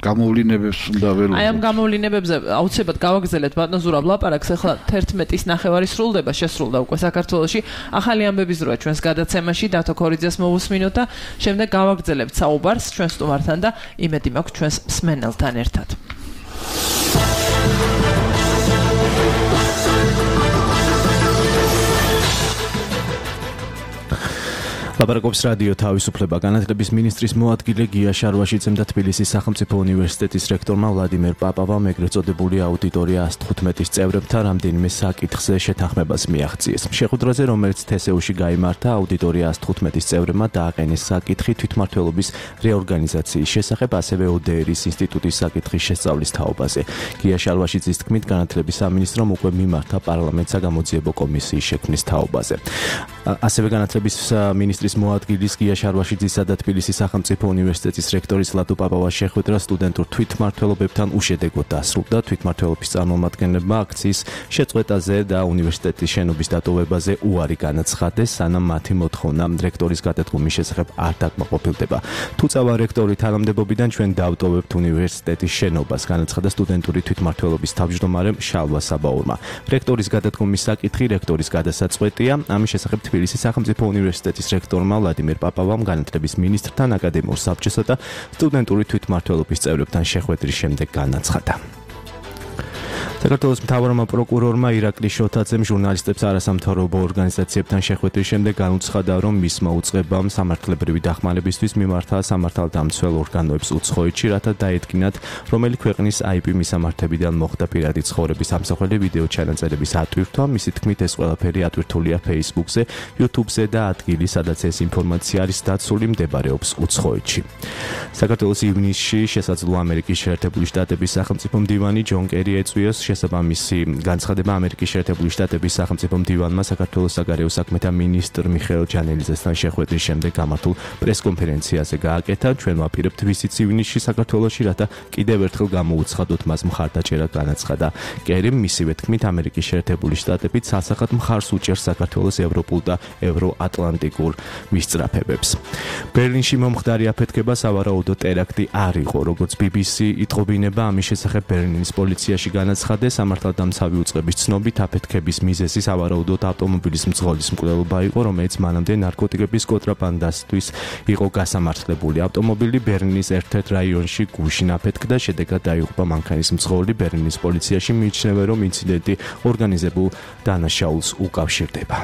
გამოვლინებებს უნდა ველოდოთ. აი ამ გამოვლინებებზე აუცილებლად გავაგზავნეთ ბატონ ზურაბ ლაპარაკს, ახლა თერთმეტის ნახევარი სრულდება, შესრულდა უკვე საქართველოში. ახალი ამბები ზრუა ჩვენს გადაცემაში, დათო ქორიძეს მოვუსმინოთ და შემდეგ გავაგზავნებთ საუბარს ჩვენ სტუმართან და იმედი მაქვს ჩვენს მსმენელთან ერთად. ლაპარაკობს რადიო თავისუფლება. განათლების მინისტრის მოადგილე გია შარვაშიძემ და თბილისის სახელმწიფო უნივერსიტეტის რექტორმა ვლადიმერ პაპავამ ეგრეთ წოდებული აუდიტორია ას თხუთმეტის წევრებთან რამდენიმე საკითხზე შეთანხმებას მიაღწიეს. შეხვედრაზე, რომელიც თესეუში გაიმართა, აუდიტორია ას თხუთმეტის წევრებმა დააყენეს საკითხი თვითმმართველობის რეორგანიზაციის შესახებ, ასევე ოდეერის ინსტიტუტის საკითხის შესწავლის თაობაზე. გია შარვაშიძის თქმით, განათლების სამინისტრომ უკვე მიმართა პარლამენტს გამოძიებო კომისიის შექმნის თაობაზე. ასევე განათლების მინისტრის მოადგილის გია შარვაშიძისა და თბილისის სახელმწიფო უნივერსიტეტის რექტორის ლადო პაპავას შეხვედრა სტუდენტურ თვითმმართველობებთან უშედეგოდ დასრულდა. თვითმმართველობის წარმომადგენლებმა აქციის შეწყვეტაზე და უნივერსიტეტის შენობის დატოვებაზე უარი განაცხადეს, სანამ მათი მოთხოვნა რექტორის გადადგომის შესახებ არ დაკმაყოფილდება. თუ წავა რექტორი თანამდებობიდან, ჩვენ დავტოვებთ უნივერსიტეტის შენობას, განაცხადა სტუდენტური თვითმმართველობის თავმჯდომარემ შალვა საბაურმა. რექტორის გადადგომის საკითხი რექტორის გადასაწყვეტია. ამის შესახებ თბილისის სახელმწიფო უნივერსიტეტის რექტორმა ვლადიმერ პაპავამ განათლების მინისტრთან, აკადემიურ საბჭოსა და სტუდენტური თვითმმართველობის წევრებთან შეხვედრის შემდეგ განაცხადა. საქართველოს მთავარმა პროკურორმა ირაკლი შოთაძემ ჟურნალისტებს არასამთავრობო ორგანიზაციებთან შეხვედრის შემდეგ განუცხადა, რომ მისმა უწყებამ სამართლებრივი დახმარებისთვის მიმართა სამართალდამცველ ორგანოებს უცხოეთში, რათა დაედგინათ, რომელი ქვეყნის აი პი მისამართებიდან მოხდა პირადი ცხოვრების ამსახველი ვიდეო ჩანაწერების ატვირთვა. მისი თქმით, ეს ყველაფერი ატვირთულია Facebook-ზე, YouTube-ზე და ადგილი, სადაც ეს ინფორმაცია არის დაცული, მდებარეობს უცხოეთში. საქართველოს ივნისში შესაძლოა ამერიკის შეერთებული შტატების სახელმწიფო მდივანი ჯონ კერი ეწვიოს შესაბამისი განცხადება ამერიკის შეერთებული შტატების სახელმწიფო მდივანმა საქართველოს საგარეო საქმეთა მინისტრ მიხეილ ჯანელიძესთან შეხვედრის შემდეგ გამართულ პრესკონფერენციაზე გააკეთა. ჩვენ ვაპირებთ ვიზიტს ივნისში საქართველოში, რათა კიდევ ერთხელ გამოუცხადოთ მას მხარდაჭერა, განაცხადა კერიმ. მისივე თქმით, ამერიკის შეერთებული შტატები ცალსახად მხარს უჭერს საქართველოს ევროპულ და ევროატლანტიკურ მისწრაფებებს. ბერლინში მომხდარი აფეთქება სავარაუდო ტერაქტი არ იყო, როგორც ბი ბი სი იტყობინება. ამის შესახებ ბერლინის პოლიციაში განაცხადა, სამართალდამცავი უწყების ცნობით აფეთქების მიზეზი სავარაუდოდ ავტომობილის მძღოლის მკვლელობა იყო, რომელიც მანამდე ნარკოტიკების კონტრაბანდასთვის იყო გასამართლებული. ავტომობილი ბერლინის ერთ-ერთ რაიონში გუშინ აფეთქდა, შედეგად დაიღუპა მანქანის მძღოლი. ბერლინის პოლიციაში მიიჩნევა, რომ ინციდენტი ორგანიზებულ დანაშაულს უკავშირდება.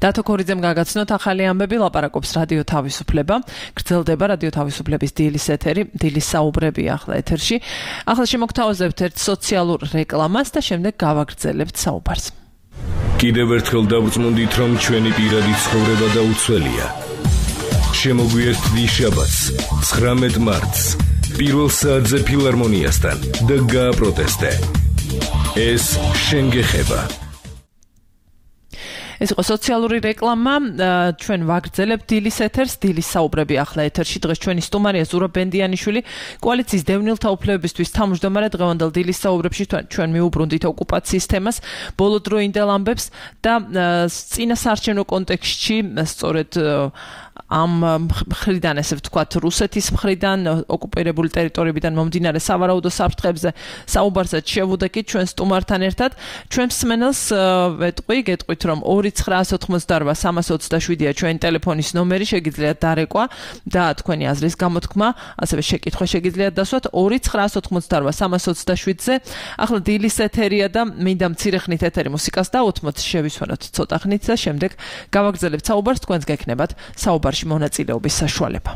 დათო ქორიძემ გაგაცნოთ ახალი ამბები, ლაპარაკობს რადიო თავისუფლება. გრძელდება რადიო თავისუფლების დილის ეთერი, დილის საუბრები ახლა ეთერში. ახლა შემოგთავაზებთ ერთ სოციალურ რეკლამას და შემდეგ გავაგრძელებთ საუბარს. კიდევ ერთხელ დავწმუნდით, რომ ჩვენი პირადი ცხოვრება დაუცველია. შემოგვიერთდი შაბათს, ცხრამეტ მარტს, პირველ საათზე ფილარმონიასთან და გააპროტესტე. ეს შენ გეხება. ეს იყო სოციალური რეკლამა, ჩვენ ვაგრძელებთ დილის ეთერს, დილის საუბრები ახლა ეთერში. დღეს ჩვენი სტუმარია ზურაბ ბენდიანიშვილი, კოალიციის დევნილთა უფლებებისთვის თავმჯდომარე. დღევანდელ დილის საუბრებში ჩვენ მიუბრუნდით ოკუპაციის თემას, ბოლოდროინდელ ამბებს და წინასაარჩევნო კონტექსტში, სწორედ ამ მხრიდან, ესე ვთქვათ, რუსეთის მხრიდან, ოკუპირებული ტერიტორიებიდან მომდინარე სავარაუდო საფრთხებზე საუბარსაც შევუდექით ჩვენ სტუმართან ერთად. ჩვენ მსმენელს ვეტყვი, გეტყვით, რომ ორი ცხრაასი ოცდაოთხმოცდაოთხ სამასი ოცდაშვიდია ჩვენი ტელეფონის ნომერი, შეგიძლიათ დარეკვა და თქვენი აზრის გამოთქმა, ასევე შეკითხვა შეგიძლიათ დასვათ ორი ცხრაასი ოცდაოთხ სამასი ოცდაშვიდზე. ახლა დილის ეთერია და მინდა მცირე ხნით ეთერი მუსიკას დავუთმოთ, შევისვენოთ ცოტა ხნით და შემდეგ გავაგრძელებთ საუბარს, თქვენს გექნებათ საუბარში მონაწილეობის საშუალება.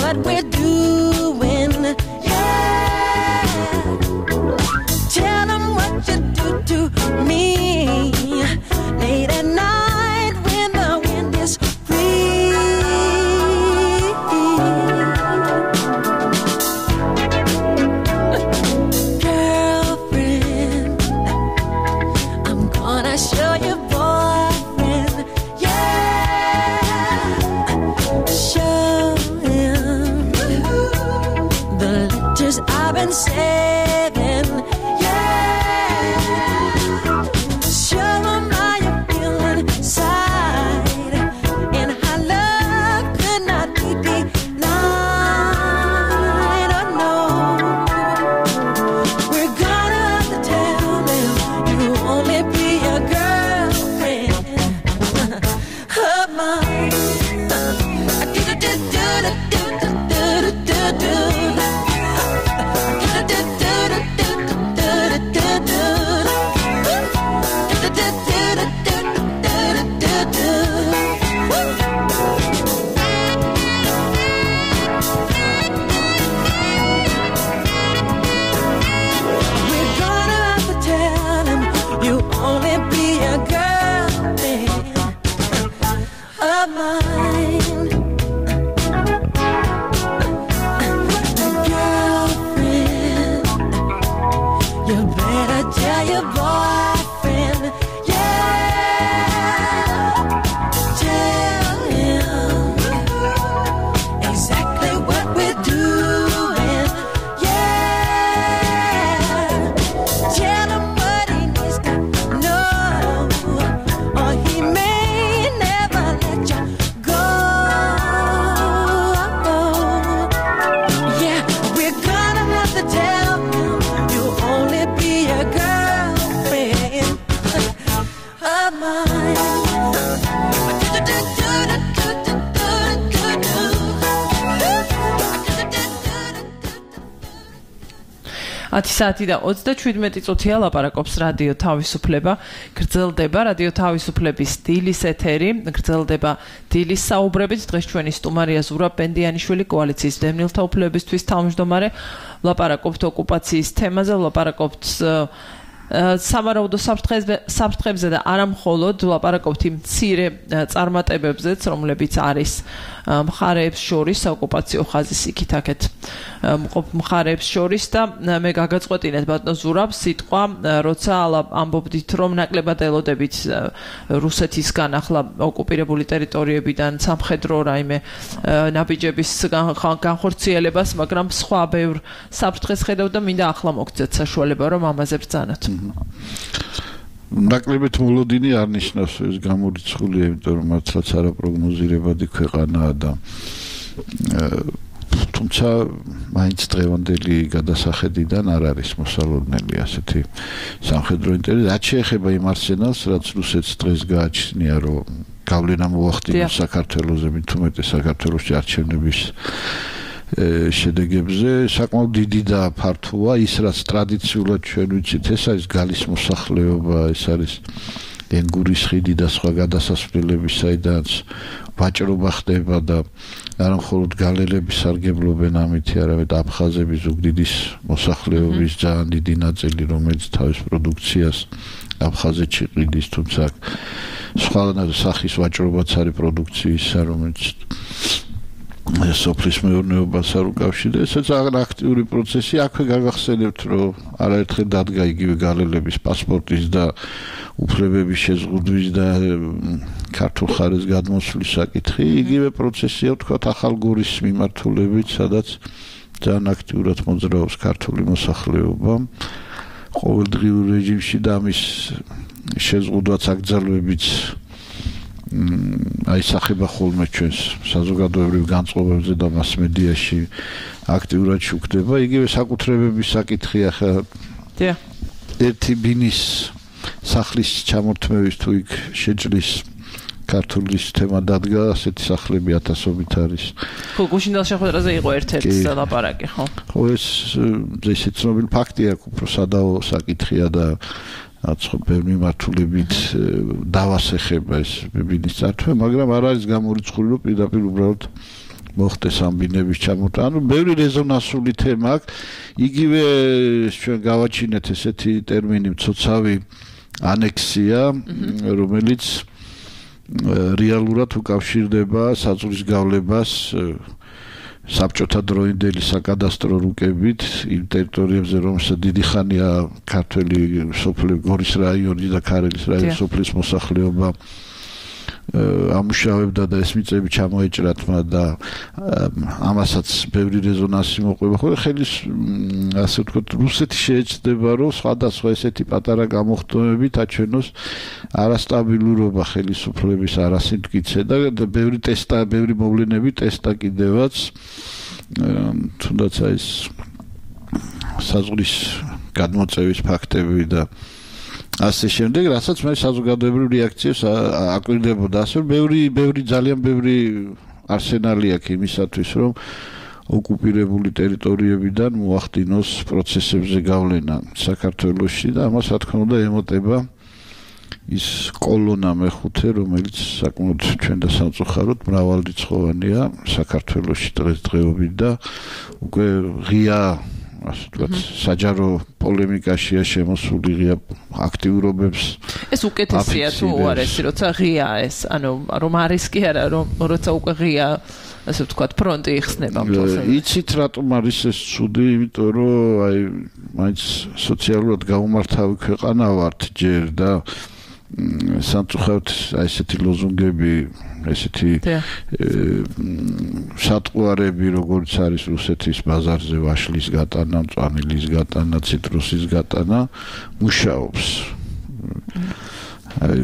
What we're doing, yeah. ათი საათი და ოცდაშვიდმეტი წუთია ლაპარაკობს რადიო თავისუფლება. გრძელდება რადიო თავისუფლების დილის ეთერი, გრძელდება დილის საუბრებით. დღეს ჩვენი სტუმარია ზურაბ პენდიანიშვილი, კოალიციის დევნილთა უფლებისთვის თავმჯდომარე. ლაპარაკობთ ოკუპაციის თემაზე, ლაპარაკობთ სამარაუდო საფრთხებზე და არა მხოლოდ ლაპარაკობთ იმ მცირე წარმატებებზეც, რომლებიც არის მხარეებს შორის ოკუპაციო ხაზის იქით აქეთ მყოფ მხარეებს შორის და მე გაგაწყვეტინეთ ბატონ ზურაბ სიტყვა, როცა ამბობდით რომ ნაკლებად ელოდებით რუსეთისგან ახლა ოკუპირებული ტერიტორიებიდან სამხედრო რაიმე ნაბიჯების განხორციელებას, მაგრამ სხვა ბევრ საფრთხეს ხედავ და მინდა ახლა მოგცეთ საშუალება რომ ამაზე ბრძანოთ. ნაკლებად მოლოდინი არ ნიშნავს ეს გამორიცხულია, იმიტომ რომ მართლაც არაპროგნოზირებადი ქვეყანაა და თუმცა მაინც დღევანდელი გადასახედიდან არ არის მოსალოდნელი ასეთი სამხედრო ინტერესი. რაც შეეხება იმ არსენალს, რაც რუსეთს დღეს გააჩნია, რომ გავლენა მოახდინოს საქართველოზე, მით უმეტეს საქართველოში არჩევნების შედეგებზე, საკმაოდ დიდი და ფართოა ის, რაც ტრადიციულად ჩვენ ვიცით, ეს არის გალის მოსახლეობა, ეს არის ენგურის ხიდი და სხვა გადასასვლელები, საიდანაც ვაჭრობა ხდება და არა მხოლოდ გალელები სარგებლობენ ამით, არამედ აფხაზები, ზუგდიდის მოსახლეობის ძალიან დიდი ნაწილი, რომელიც თავის პროდუქციას აფხაზეთში ყიდის, თუმცა სხვა სახის ვაჭრობაც არის პროდუქციისა, რომელიც სოფლის მეურნეობას არ უკავშირდება. ესეც აქტიური პროცესი. აქვე გაგახსენებთ, რომ არაერთხელ დადგა იგივე გალელების პასპორტის და უფლებების შეზღუდვის და ქართულ ხარეს გადმოსვლის საკითხი. იგივე პროცესია, ვთქვათ, ახალგორის მიმართულებით, სადაც ძალიან აქტიურად მოძრაობს ქართული მოსახლეობა ყოველდღიურ რეჟიმში და ამის შეზღუდვაც აკრძალვებიც აისახება ხოლმე ჩვენს საზოგადოებრივ განწყობებზე და მასმედიაში აქტიურად შუქდება. იგივე საკუთრებების საკითხი ახლა ერთი ბინის სახლის ჩამორთმევის თუ იქ შეჭრის ქართულის თემა დადგა, ასეთი სახლები ათასობით არის. ხო, გუშინდელ შეხვედრაზე იყო ერთ-ერთი ლაპარაკი, ხო? ხო, ეს ესე ცნობილი ფაქტია, უფრო სადაო საკითხია და აცხო ბევრი მართულებით დავასეხება ეს ბიბინის წართვა, მაგრამ არ არის გამორიცხული, რომ პირდაპირ უბრალოდ მოხდეს ამ ბინების ჩამოტანა. ანუ ბევრი რეზონანსული თემა აქვს. იგივე ჩვენ გავაჩინეთ ესეთი ტერმინი მცოცავი ანექსია, რომელიც რეალურად უკავშირდება საზღვრის გავლებას საბჭოთა დროინდელი საკადასტრო რუკებით იმ ტერიტორიებზე, რომელსაც დიდი ხანია ქართველი სოფლები, გორის რაიონი და ქარელის რაიონის სოფლის მოსახლეობა ამუშავებდა და ეს მიწები ჩამოეჭრათ მათ და ამასაც ბევრი რეზონანსი მოყვება. ხო, ხელის ასე ვთქვათ, რუსეთი შეეცდება, რომ სხვადასხვა ესეთი პატარა გამოხდომებით აჩვენოს არასტაბილურობა ხელისუფლების არასიმტკიცე და ბევრი ტესტა, ბევრი მოვლენები ტესტა კიდევაც თუნდაც ეს საზღვრის გადმოწევის ფაქტები და ასე შემდეგ, რასაც მე საზოგადოებრივ რეაქციებს აკვირდებოდა. ასე ბევრი, ბევრი ძალიან ბევრი არსენალი აქვს იმისათვის, რომ ოკუპირებული ტერიტორიებიდან მოახდინოს პროცესებზე გავლენა საქართველოში და ამას რა თქმა უნდა ემოტება ის კოლონა მეხუთე, რომელიც საკმაოდ ჩვენ და სამწუხაროდ მრავალრიცხოვანია საქართველოში დღესდღეობით და უკვე ღია ასე ვთქვათ, საჯარო პოლემიკაშია შემოსული ღია აქტიურობებს. ეს უკეთესია თუ არ ეს, როცა ღია ეს, ანუ რომ არის კი არა, რომ როცა უკვე ღია ასე ვთქვათ, ფრონტი იხსნება მთელს. იცით რატომ არის ეს ცუდი? იმიტომ რომ აი მაინც სოციალურად გაუმართავი ქვეყანა ვართ ჯერ და სამწუხაროდ აი ესეთი ლოზუნგები, ესეთი სატყვარები, როგორც არის რუსეთის ბაზარზე ვაშლის გატანა, მწვანილის გატანა, ციტრუსის გატანა, მუშაობს. აი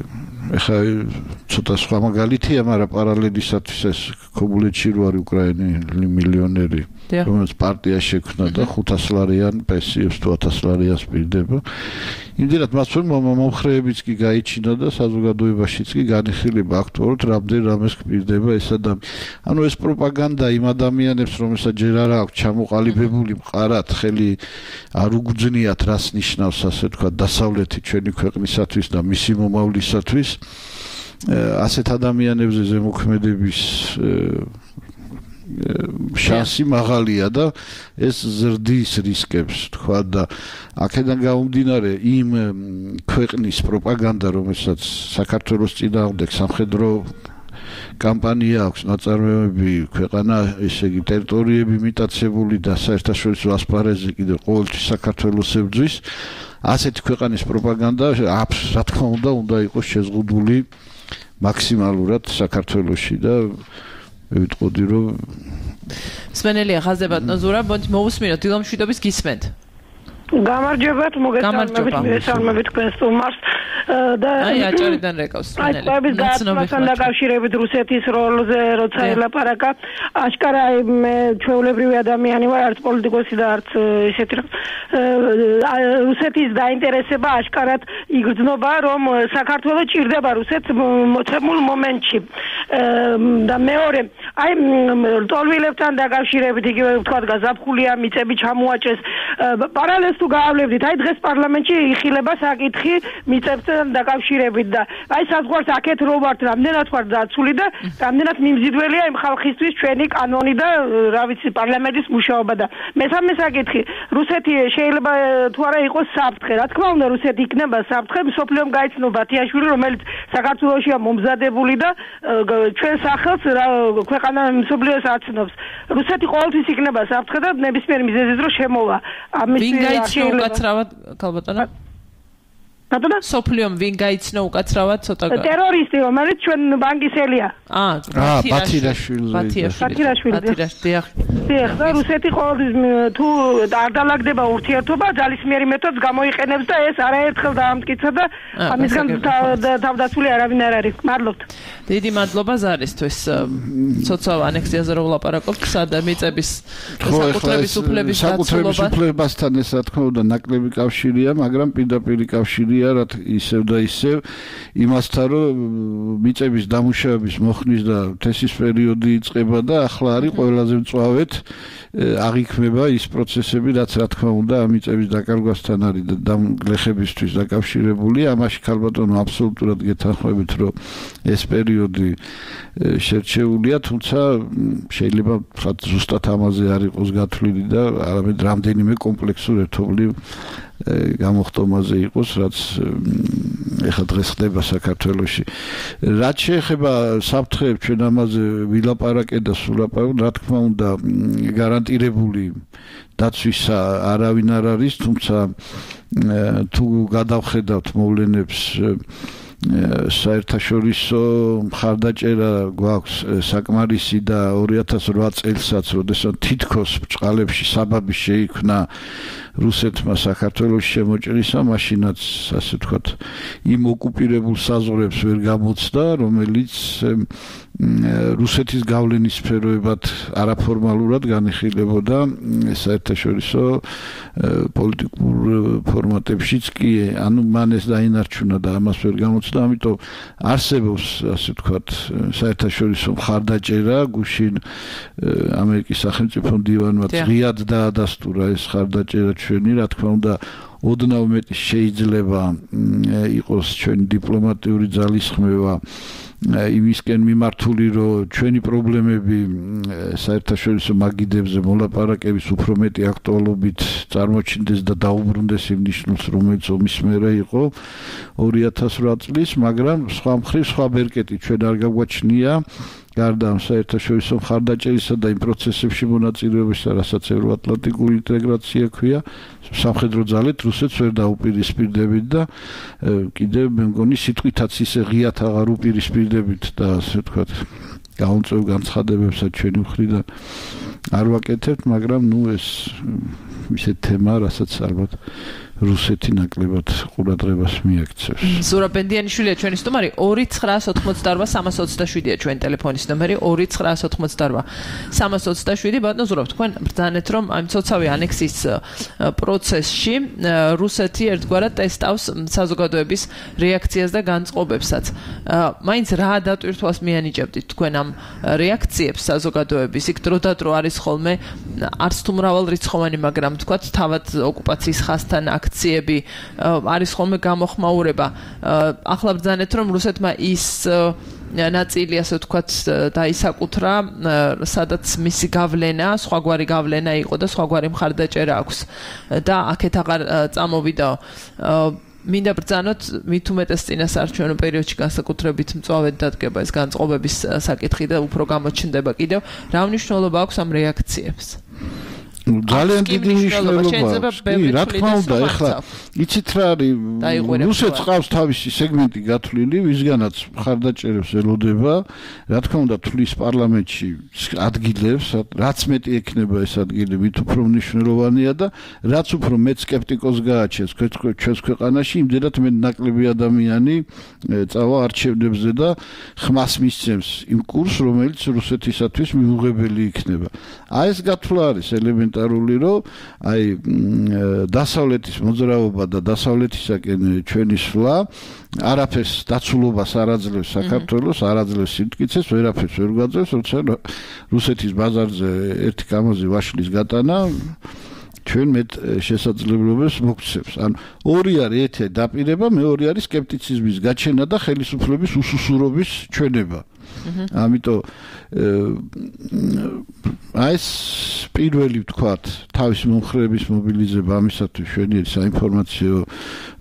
ეხლა ცოტა სხვა მაგალითია, მაგრამ პარალელისათვის ეს ქობულეთში რო არის უკრაინელი მილიონერი, რომელიც პარტია შექმნა და ხუთას ლარიან პენსიებს თუ ათას ლარიანს პირდება. იმდენად მას რომ მომხრეებიც კი გაიჩინა და საზოგადოებაშიც კი განიხილება აქტუალურად რამდენ რამეს გპირდება ეს ადამიანი. ანუ ეს პროპაგანდა იმ ადამიანებს, რომელსაც ჯერ არ აქვს ჩამოყალიბებული მყარად, ხელი არ უგძნიათ, რას ნიშნავს ასე თქვა დასავლეთი ჩვენი ქვეყნისათვის და მისი მომავლისათვის. ასეთ ადამიანებზე ზემოქმედების შანსი მაღალია და ეს ზრდის რისკებს თქვა და აქედან გამომდინარე იმ ქვეყნის პროპაგანდა, რომელსაც საქართველოს წინააღმდეგ სამხედრო კამპანია აქვს, ნაწარმოებები, ქვეყანა, ესე იგი ტერიტორიები მიტაცებული და საერთაშორისო ასპარეზზე კიდევ ყოველთვის საქართველოს ებრძვის, ასეთი ქვეყანის პროპაგანდა რა თქმა უნდა უნდა იყოს შეზღუდული მაქსიმალურად საქართველოში და ვიტყოდი რომ სვენელია ხაზებად ნოზურა მოვუსმინოთ დილამშვიდობის გისმენთ. გამარჯობათ, მოგესალმებით, მოგესალმებით თქვენ სტუმარს და აი აჭარიდან რეკავს სვენელი. აი გაცნობასთან დაკავშირებით რუსეთის როლზე როცა ელაპარაკა, აშკარა მე ჩვეულებრივი ადამიანი ვარ, არც პოლიტიკოსი და არც ესეთი რა. რუსეთის დაინტერესება აშკარად იგრძნობა, რომ საქართველოს ჭირდება რუსეთს მოცემულ მომენტში. და მეორე, აი ტოლვილებთან დაკავშირებით იგივე ვთქვათ გაზაფხულია, მიწები ჩამოაჭრეს. პარალელს თუ გაავლებდით, აი დღეს პარლამენტში იხილება საკითხი მიწებთან დაკავშირებით და აი საზღვარს აქეთ რო ვართ, რამდენად ვართ დაცული და რამდენად მიმზიდველია იმ ხალხისთვის ჩვენი კანონი და რა ვიცი პარლამენტის მუშაობა და მესამე საკითხი, რუსეთი შეიძლება თუ არა იყოს საფრთხე, რა თქმა უნდა რუსეთი იქნება საფრთხე, მსოფლიომ გაიცნო ბათიაშვილი, რომელიც საქართველოშია მომზადებული და ჩვენ სახელს ქვეყანა მსოფლიოს აცნობს. რუსეთი ყოველთვის იქნება საფრთხე და ნებისმიერ მიზეზის დრო შემოვა. ამის ვინ გაიცნო უკაცრავად ქალბატონო? ბატონო? სოფლიომ ვინ გაიცნო უკაცრავად ცოტა ტერორისტი, რომელიც ჩვენ ბანკისელია. აა, ბათირაშვილი. ბათირაშვილი. ბათირაშვილი. დიახ, და რუსეთი ყოველთვის თუ არ დაალაგდება ურთიერთობა, ძალისმიერი მეთოდს გამოიყენებს და ეს არაერთხელ დაამტკიცა და ამისგან თავდაცული არავინ არ არის. მადლობთ. დიდი მადლობა ზარისთვის. ცოცავ ანექსიაზე რო ვლაპარაკობთ, სადა მიწების საკუთრების უფლების საკუთრების უფლებასთან ეს რა თქმა უნდა ნაკლები კავშირია, მაგრამ პირდაპირ კავშირია რა ისევ და ისევ იმასთან რომ მიწების დამუშავების მოხნის და თესის პერიოდი იწყება და ახლა არის ყველაზე მწვავედ აღიქმება ის პროცესები, რაც რა თქმა უნდა ამ მიწების დაკარგვასთან არის და დამგლეხებისთვის დაკავშირებული. ამაში ქალბატონო აბსოლუტურად გეთანხმებით, რომ ეს პერიოდი შერჩეულია, თუმცა შეიძლება ვთქვათ ზუსტად ამაზე არ იყოს გათვლილი და არამედ რამდენიმე კომპლექსურ ერთობლივ გამოხტომაზე იყოს, რაც ეხლა დღეს ხდება საქართველოში. რაც შეეხება საფრთხეებს, ჩვენ ამაზე ვილაპარაკეთ და სულაპარაკეთ, რა თქმა უნდა გარანტირებული დაცვის არავინ არ არის, თუმცა თუ გადავხედავთ მოვლენებს საერთაშორისო მხარდაჭერა გვაქვს საკმარისი და ორი ათას რვა წელსაც, როდესაც თითქოს ბჭყალებში საბაბი შეიქმნა რუსეთმა საქართველოს შემოჭრისა, მაშინაც ასე ვთქვათ, იმ ოკუპირებულ საზღვრებს ვერ გამოცდა, რომელიც რუსეთის გავლენის სფეროებად არაფორმალურად განიხილებოდა საერთაშორისო პოლიტიკურ ფორმატებშიც კი, ანუ მან ეს დაინარჩუნა და ამას ვერ გამოცდა, ამიტომ არსებობს ასე ვთქვათ საერთაშორისო მხარდაჭერა, გუშინ ამერიკის სახელმწიფო მდივანმა ღიად დაადასტურა ეს მხარდაჭერა ჩვენი, რა თქმა უნდა ოდნავ მეტი შეიძლება იყოს ჩვენი დიპლომატიური ძალისხმევა იმისკენ მიმართული, რომ ჩვენი პრობლემები საერთაშორისო მაგიდებზე მოლაპარაკების უფრო მეტი აქტუალობით წარმოჩინდეს და დაუბრუნდეს იმ ნიშნულს, რომელიც ომის მერე იყო ორი ათას რვა წლის, მაგრამ სხვა მხრივ სხვა ბერკეტი ჩვენ არ გაგვაჩნია გარდა ამ საერთაშორისო მხარდაჭერისა და იმ პროცესებში მონაწილეობისა, რასაც ევროატლანტიკური ინტეგრაცია ქვია, სამხედრო ძალით რუსეთს ვერ დაუპირისპირდებით და კიდევ მე მგონი სიტყვითაც ისე ღიათ აღარ უპირისპირდებით და ასე ვთქვათ, გაუნწევ განცხადებებსაც ჩვენი მხრიდან არ ვაკეთებთ, მაგრამ ნუ ეს ისე თემა, რასაც ალბათ რუსეთი ნაკლებად ყურადღებას მიაქცევს. ზურაბ ბენდიანიშვილია ჩვენი სტუმარი, ორი ცხრაას ოთხმოცდაორვა სამას ოცდაშვიდია ჩვენი ტელეფონის ნომერი, ორი ცხრაას ოთხმოცდაორვა სამას ოცდაშვიდი. ბატონო ზურაბ, თქვენ ბრძანეთ, რომ ამ ცოცავი ანექსის პროცესში რუსეთი ერთგვარად ტესტავს საზოგადოების რეაქციას და განწყობებსაც. მაინც რა დატვირთვას მიანიჭებდით თქვენ ამ რეაქციებს საზოგადოების? იქ დროდადრო არის ხოლმე არც თუ მრავალრიცხოვანი, მაგრამ თქვათ თავად ოკუპაციის ხასთან აქციები არის ხოლმე გამოხმაურება. ახლა ბრძანეთ, რომ რუსეთმა ის ნაწილი, ასე ვთქვათ, დაისაკუთრა, სადაც მისი გავლენა, სხვაგვარი გავლენა იყო და სხვაგვარი მხარდაჭერა აქვს და აქეთ აღარ წამოვიდა. მინდა ბრძანოთ, მით უმეტეს წინასაარჩევნო პერიოდში განსაკუთრებით მწვავედ დადგება ეს განწყობების საკითხი და უფრო გამოჩნდება კიდევ. რა მნიშვნელობა აქვს ამ რეაქციებს? ძალიან დიდი მნიშვნელობა აქვს. კი, რა თქმა უნდა, ეხლა იცით რა არის, რუსეთს ყავს თავისი სეგმენტი გათვლილი, ვისგანაც მხარდაჭერებს ელოდება, რა თქმა უნდა, თვლის პარლამენტში ადგილებს, რაც მეტი ექნება ეს ადგილი, მით უფრო მნიშვნელოვანია და რაც უფრო მეტ სკეპტიკოს გააჩენს ჩვენს ქვეყანაში, იმდენად მეტ ნაკლები ადამიანი წავა არჩევნებზე და ხმას მისცემს იმ კურსს, რომელიც რუსეთისათვის მიუღებელი იქნება. აი ეს გათვლა არის ელემენტი რომ აი დასავლეთის მოძრაობა და დასავლეთისაკენ ჩვენი სვლა არაფერს დაცულობას არ აძლევს საქართველოს, არ აძლევს სიმტკიცეს, ვერაფერს ვერ გვაძლევს, როცა რუსეთის ბაზარზე ერთი კამაზი ვაშლის გატანა ჩვენ მეტ შესაძლებლობებს მოგცემს. ან ორი არის, ერთი დაპირება, მეორე არის სკეპტიციზმის გაჩენა და ხელისუფლების უსუსურობის ჩვენება. ამიტომ აი ეს პირველი ვთქვათ, თავის მომხრეების მობილიზება ამისათვის შვენიერი საინფორმაციო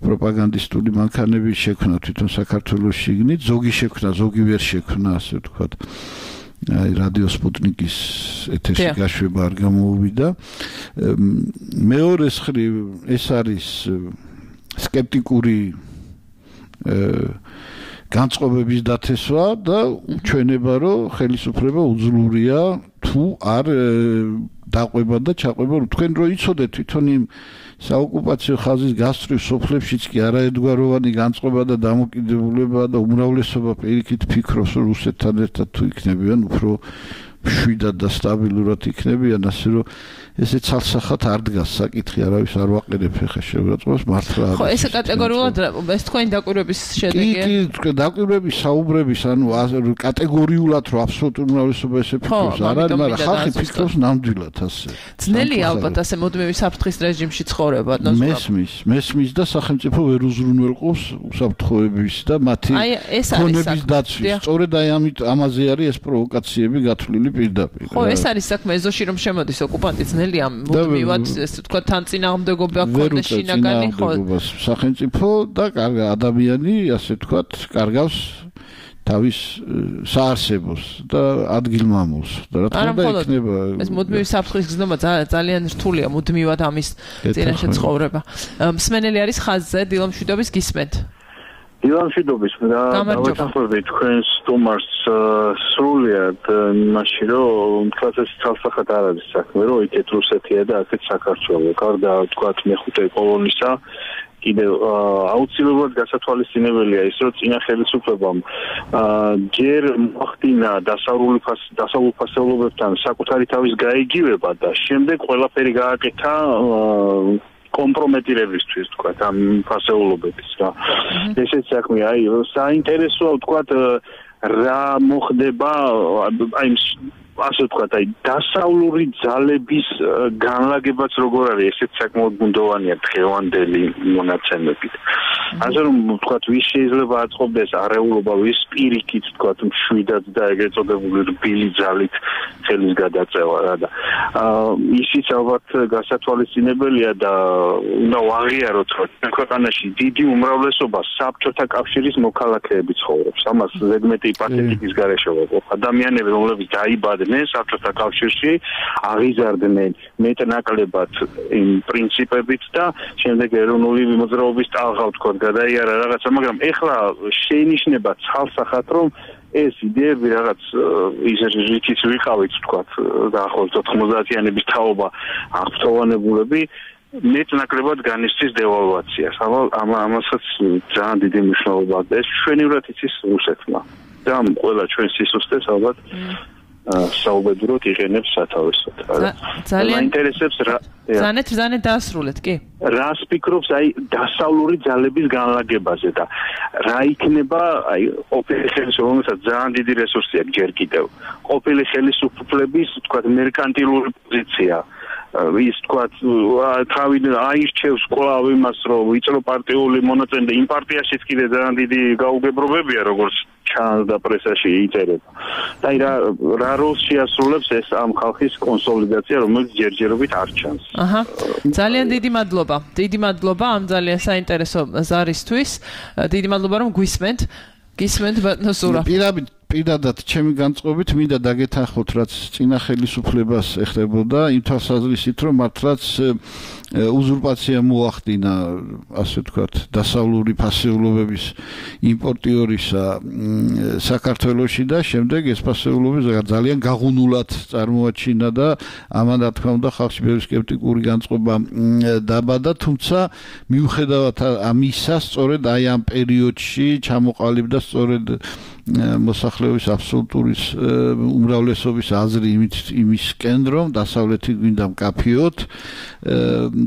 პროპაგანდისტული მანქანების შექმნა თვითონ საქართველოს შიგნით, ზოგი შექმნა, ზოგი ვერ შექმნა, ასე ვთქვათ. აი რადიო სპუტნიკის ეთერში გაშვება არ გამოუვიდა. მეორე მხრივ ეს არის სკეპტიკური განწყობების დათესვა და ჩვენება, რომ ხელისუფლება უძლურია თუ არ დაყვება და ჩაყვება. თქვენ რო იცოდეთ თვითონ იმ საოკუპაციო ხაზის გასწვრივ სოფლებშიც კი არაერთგვაროვანი განწყობა და დამოკიდებულება და უმრავლესობა პირიქით ფიქრობს, რომ რუსეთთან ერთად თუ იქნებიან, უფრო მშვიდად და სტაბილურად იქნებიან, ასე რომ ესე ცალსახად არ დგას საკითხი, არავის არ ვაყენებ ხე შეურაცხყოფას მართლა არის. ხო, ესე კატეგორიულად ეს თქვენი დაკვირვების შედეგია? კი, კი, დაკვირვების, საუბრების, ანუ კატეგორიულად რომ აბსოლუტურ უმრავლესობა ესე ფიქრობს, არ არის, მაგრამ ხალხი ფიქრობს ნამდვილად ასე. ძნელია ალბათ ასე მუდმივი საფრთხის რეჟიმში ცხოვრება, ნოზურაბ. მესმის, მესმის და სახელმწიფო ვერ უზრუნველყოფს უსაფრთხოების და მათი ქონების დაცვის. სწორედ აი ამით ამაზე არის ეს პროვოკაციები გათვლილი პირდაპირ. ხო, ეს არის საქმე ეზოში რომ შემოდის ოკუპანტი ძნელია მუდმივად ესე თქვა თან წინააღმდეგობა ქონდეს შინაგანი ხო სახელმწიფო და ადამიანი ასე თქვა კარგავს თავის საარსებოს და ადგილმამულს და რა თქმა უნდა იქნება ეს მუდმივი საფრთხის გზნობა ძალიან რთულია მუდმივად ამის წინაშე ცხოვრება. მსმენელი არის ხაზზე დილამშვიდობის გისმენთ. დილამშვიდობის და დავეთანხმები თქვენს სტუმარს სრულიად იმაში, რომ თვალსაჩინო ცალსახად არ არის საქმე, რომ იქეთ რუსეთია და აქეთ საქართველო. გარდა თქვათ მეხუთე კოლონისა კიდევ აუცილებლად გასათვალისწინებელია ის, რომ წინა ხელისუფლებამ ჯერ მოახდინა დასავლურ ფასეულობებთან საკუთარი თავის გაიგივება და შემდეგ ყველაფერი გააკეთა კომპრომეტირებისთვის თქვათ ამ ფასეულობების რა. ესეც საქმეა, აი საინტერესოა თქვათ რა მოხდება აი ასე ვთქვათ, აი დასავლური ძალების განლაგებაც როგორ არის, ესეც საკმაოდ ბუნდოვანია დღევანდელი მონაცემებით. ასე რომ ვთქვათ, ვის შეიძლება აწყობდეს არეულობა, ვის პირიქით ვთქვათ, მშვიდად და ეგრეთ წოდებული რბილი ძალით ხელის გადაწევა რა და ისიც ალბათ გასათვალისწინებელია და უნდა ვაღიაროთ, რომ ქვეყანაში დიდი უმრავლესობა საბჭოთა კავშირის მოქალაქეები ცხოვრობს. ამას ზედმეტი პათეტიკის გარეშე ვაყოფ. ადამიანები, რომლებიც დაიბადნენ საბჭოთა კავშირში, აღიზარდნენ მეტნაკლებად იმ პრინციპებით და შემდეგ ეროვნული მოძრაობის ტალღა ვთქვათ, გადაიარა რაღაცა, მაგრამ ეხლა შეინიშნება ცალსახად, რომ ეს იდეები რაღაც ის რითიც ვიყავით ვთქვათ, დაახლოებით ოთხმოცდაათიანების თაობა აღფრთოვანებულები მეტნაკლებად განიცდის დევალვაციას. ამ ამასაც ძალიან დიდი მნიშვნელობა აქვს. ეს ჩვენივრად იცის რუსეთმა. და ყველა ჩვენ სისუსტეს ალბათ საუბედუროდ იყენებს სათავესოდ. ძალიან ინტერესებს რა ზანეთ ზანეთ დაასრულეთ, კი? რას ფიქრობს აი დასავლური ძალების განლაგებაზე და რა იქნება აი ყოფილი ხელისუფლებისა ძალიან დიდი რესურსი აქვს ჯერ კიდევ. ყოფილი ხელისუფლების თქვათ მერკანტილური პოზიცია ის თქვათ თავი აირჩევს კვლავ იმას რომ ვიწრო პარტიული მონაწილე და იმ პარტიაშიც კიდე ძალიან დიდი გაუგებრობებია როგორც ჩანს და პრესაში იწერება. და აი რა რა როლს შეასრულებს ეს ამ ხალხის კონსოლიდაცია რომელიც ჯერჯერობით არ ჩანს. აჰა. ძალიან დიდი მადლობა. დიდი მადლობა ამ ძალიან საინტერესო ზარისთვის. დიდი მადლობა რომ გვისმენთ. გისმენთ ბატონო სურა. პირადად პირადად ჩემი განწყობით მინდა დაგეთანხმოთ რაც წინა ხელისუფლებას ეხებოდა იმ თვალსაზრისით რომ მართლაც უზურპაცია მოახდინა ასე ვთქვათ დასავლური ფასეულობების იმპორტიორისა საქართველოში და შემდეგ ეს ფასეულობები ძალიან გაღუნულად წარმოაჩინა და ამან რა თქმა უნდა ხალხში ბევრი სკეპტიკური განწყობა დაბადა თუმცა მიუხედავად ამისა სწორედ აი ამ პერიოდში ჩამოყალიბდა სწორედ მოსახლეობის აბსოლუტური უმრავლესობის აზრი იმისკენ რომ დასავლეთი გვინდა მკაფიოთ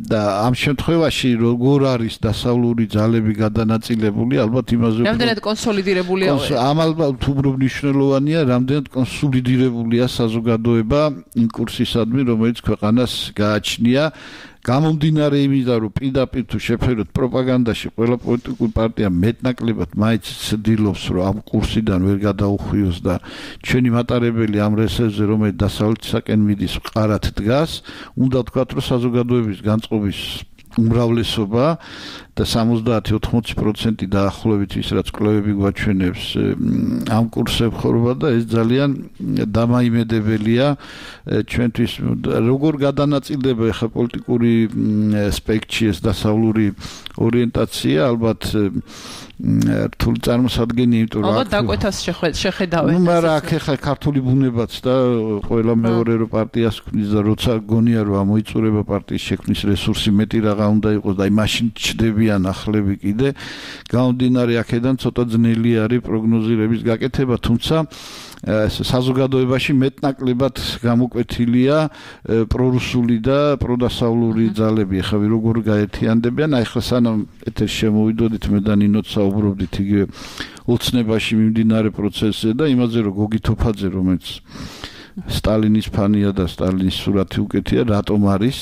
და ამ შემთხვევაში როგორ არის დასავლური ძალები გადანაწილებული ალბათ იმაზე რამდენად კონსოლიდირებულია ამ ალბათ უბრალოდ მნიშვნელოვანია რამდენად კონსოლიდირებულია საზოგადოება იმ კურსისადმი რომელიც ქვეყანას გააჩნია გამომდინარე იმიდან რომ პირდაპირ თუ შეფეროთ პროპაგანდაში ყველა პოლიტიკური პარტია მეტნაკლებად მაინც ცდილობს რომ ამ კურსიდან ვერ გადაუხვიოს და ჩვენი მატარებელი ამ რესერვზე რომელიც დასავლეთისაკენ მიდის მყარად დგას უნდა ვთქვათ რომ საზოგადოების განწყობის უმრავლესობა და სამოცდაათი ოთხმოცი პროცენტი დაახლოებით ის რაც კვლევები გვაჩვენებს ამ კურსზე ხორვა და ეს ძალიან დამაიმედებელია ჩვენთვის როგორ გადანაწილდება ახლა პოლიტიკური სპექტრი ეს დასავლური ორიენტაცია ალბათ რთული წარმოსადგენია იმიტომ რომ ალბათ დაკვეთას შეხედავენ ნუ მაგრამ აქ ახლა ქართული ბუნებაც და ყველა მეორე რო პარტიას ქმნის და როცა გონია რომ ამოიწურება პარტიის შექმნის რესურსი მეტი რაღა უნდა იყოს და აი მაშინ ჩდებიან ახლები კიდე გამომდინარე აქედან ცოტა ძნელი არის პროგნოზირების გაკეთება თუმცა საზოგადოებაში მეტნაკლებად გამოკვეთილია პრორუსული და პროდასავლური ძალები ახლა როგორ გაერთიანდებიან აი ხა სანამ ეთერში შემოვიდოდით მე და ნინოც საუბრობდით იგივე ოცნებაში მიმდინარე პროცესზე და იმაზე რომ გოგი თოფაძე რომელიც სტალინის ფანია და სტალინის სურათი უკეთია რატომ არის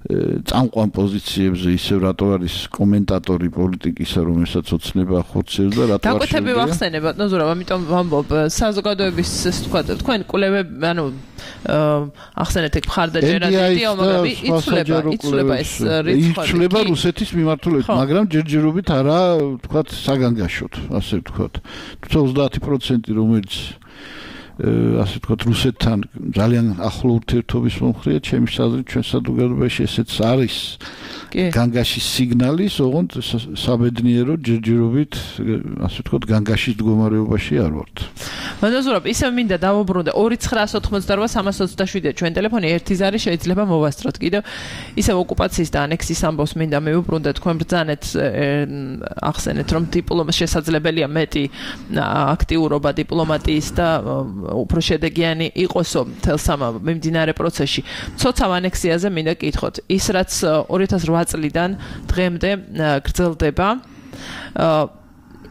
წამყვან პოზიციებზე ისევ რატო არის კომენტატორი პოლიტიკისა რომელსაც ოცნება ხორცევს და რატო არ დაკვეთები ვახსენებ ბატონო ზურაბ ამიტომ ვამბობ საზოგადოების თქვა თქვენ კვლევები ანუ ახსენეთ ეგ მხარდაჭერა დიდია მაგრამ იცვლება იცვლება ეს რიცხვი იცვლება რუსეთის მიმართულებით მაგრამ ჯერჯერობით არა თქვა საგანგაშოდ ასე ვთქვა თუმცა ოცდაათი პროცენტი რომელიც ასე ვთქვათ რუსეთთან ძალიან ახლო ურთიერთობის მომხრეა ჩემი აზრით ჩვენ საზოგადოებაში ესეც არის განგაშის სიგნალის ოღონდ საბედნიერო ჯერჯერობით ასე ვთქვათ განგაშის მდგომარეობაში არ ვართ მადლობ ისევ მინდა დავუბრუნდე ორი ცხრაასი ოთხმოცდარვა სამას ოცდაშვიდი ჩვენ ტელეფონი ერთი ზარი შეიძლება მოვასწროთ კიდევ ისევ ოკუპაციის და ანექსიის ამბავს მინდა მივუბრუნდე თქვენ ბრძანეთ ახსენეთ რომ დიპლომატია შესაძლებელია მეტი აქტიურობა დიპლომატიის და უფრო შედეგიანი იყოსო თელს ამ მიმდინარე პროცესში. ცოცხალ ანექსიაზე მინდა კითხოთ. ის რაც ორი ათას რვა წლიდან დღემდე გრძელდება,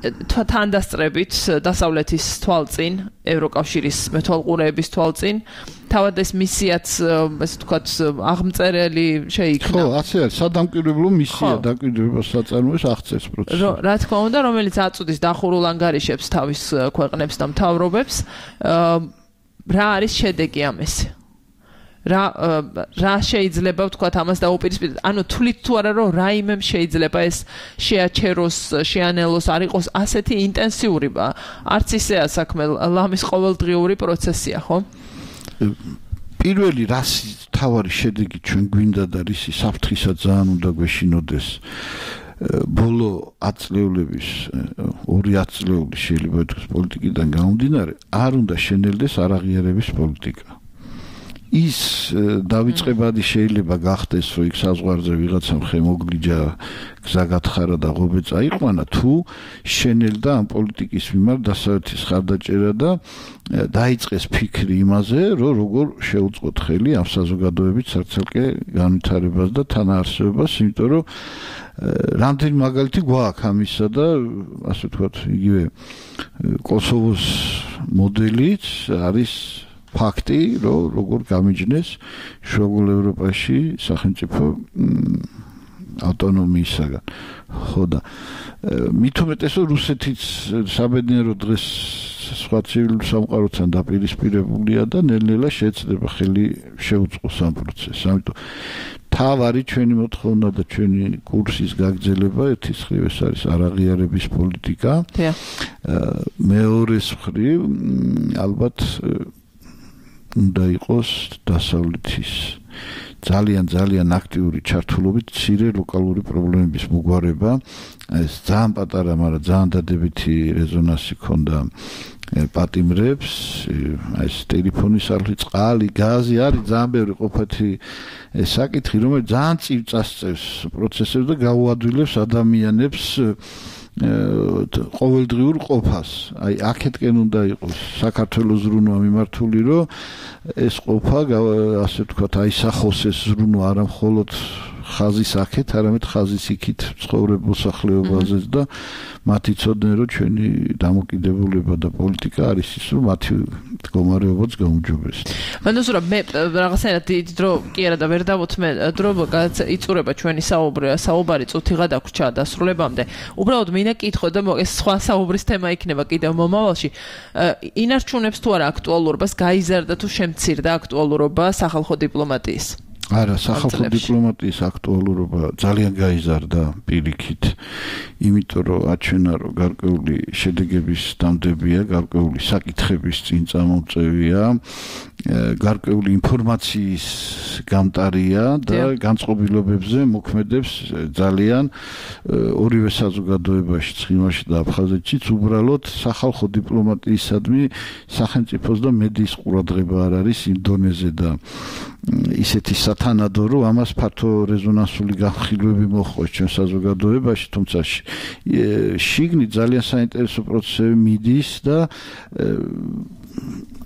თანდასწრებით დასავლეთის თვალწინ, ევროკავშირის მეთვალყურეების თვალწინ, თავად ეს მისიაც, ესე ვთქვათ, აღმწერელი შეიქმნა. ხო, ასე არის, სადამკვირვებლო მისია დაკვირვებას საწარმოებს აღწევს პროცესს. რა თქმა უნდა, რომელიც აწუდის დახურულ ანგარიშებს თავის ქვეყნებს და მთავრობებს, რა არის შედეგი ამის? რა რა შეიძლება ვთქვათ ამას დაუპირისპირდეთ? ანუ თვლით თუ არა რომ რაიმემ შეიძლება ეს შეაჩეროს, შეანელოს, არ იყოს ასეთი ინტენსიური, არც ისეა საქმე, ლამის ყოველდღიური პროცესია, ხო? პირველი რას თავარი შედეგი ჩვენ გვინდა და რისი საფრთხისა ძალიან უნდა გვეშინოდეს ბოლო ათწლეულების ორი ათწლეული შეიძლება ითქვას პოლიტიკიდან გამომდინარე არ უნდა შენელდეს არაღიარების პოლიტიკა ის დავიწყებადი შეიძლება გახდეს რომ იქ საზღვარზე ვიღაცამ ხემოგლიჯა გზა გათხარა და ღობე წაიყვანა თუ შენელდა ამ პოლიტიკის მიმართ დასავლეთის ხარდაჭერა და დაიწყეს ფიქრი იმაზე რომ როგორ შეუწყოთ ხელი ამ საზოგადოების ცარცელკე განვითარებას და თანაარსებობას იმიტომ რომ რამდენი მაგალითი გვაქვს ამისა და ასე ვთქვათ იგივე კოსოვოს მოდელიც არის ფაქტი, რომ როგორ გამიჯნეს შუაგულ ევროპაში სახელმწიფო ავტონომიისაგან. ხო და მით უმეტეს რომ რუსეთიც საბედნიერო დღეს სხვა ცივილურ სამყაროსთან დაპირისპირებულია და ნელ-ნელა შეეცდება ხელი შეუწყოს ამ პროცესს. ამიტომ თავარი ჩვენი მოთხოვნა და ჩვენი კურსის გაგრძელება ერთის მხრივ ეს არის არაღიარების პოლიტიკა. მეორეს მხრივ ალბათ უნდა იყოს დასავლეთის ძალიან ძალიან აქტიური ჩართულობით მცირე ლოკალური პრობლემების მოგვარება ეს ძალიან პატარა, მაგრამ ძალიან დადებითი რეზონანსი ქონდა პატიმრებს ეს ტელეფონის არხი, წყალი, გაზი არის ძალიან ბევრი ყოფათი საკითხი, რომელიც ძალიან წილ წასწევს პროცესებს და გაუადვილებს ადამიანებს ყოველდღიურ ყოფას. აი აქეთკენ უნდა იყოს საქართველოს ზრუნვა მიმართული, რომ ეს ყოფა ასე ვთქვათ, აისახოს ეს ზრუნვა არა მხოლოდ ხაზის აქეთ, არამედ ხაზის იქით ცხოვრებულ მოსახლეობაზეც და მათ იცოდნენ, რომ ჩვენი დამოკიდებულება და პოლიტიკა არის ის, რომ მათი მდგომარეობაც გაუმჯობესდეს. მანდოსურა მე რაღაცნაირად დიდი დრო კი არა და ვერ დავუთმე დრო იწურება ჩვენი საუბარი, საუბარი წუთი გადაგვრჩა დასრულებამდე. უბრალოდ მინდა კითხო და ეს სხვა საუბრის თემა იქნება კიდევ მომავალში. ინარჩუნებს თუ არა აქტუალურობას, გაიზარდა თუ შემცირდა აქტუალურობა სახალხო დიპლომატიის? არა, სახალხო დიპლომატიის აქტუალურობა ძალიან გაიზარდა პირიქით, იმიტომ რომ აჩვენა რომ გარკვეული შედეგების დამდებია, გარკვეული საკითხების წინ წამომწევია, გარკვეული ინფორმაციის გამტარია და განწყობილობებზე მოქმედებს ძალიან ორივე საზოგადოებაში, ცხინვალში და აფხაზეთშიც უბრალოდ სახალხო დიპლომატიისადმი სახელმწიფოს და მედიის ყურადღება არ არის იმ დონეზე და ისეთი სათანადო რომ ამას ფართო რეზონანსული განხილვები მოჰყვა ჩვენ საზოგადოებაში, თუმცა შიგნით ძალიან საინტერესო პროცესები მიდის და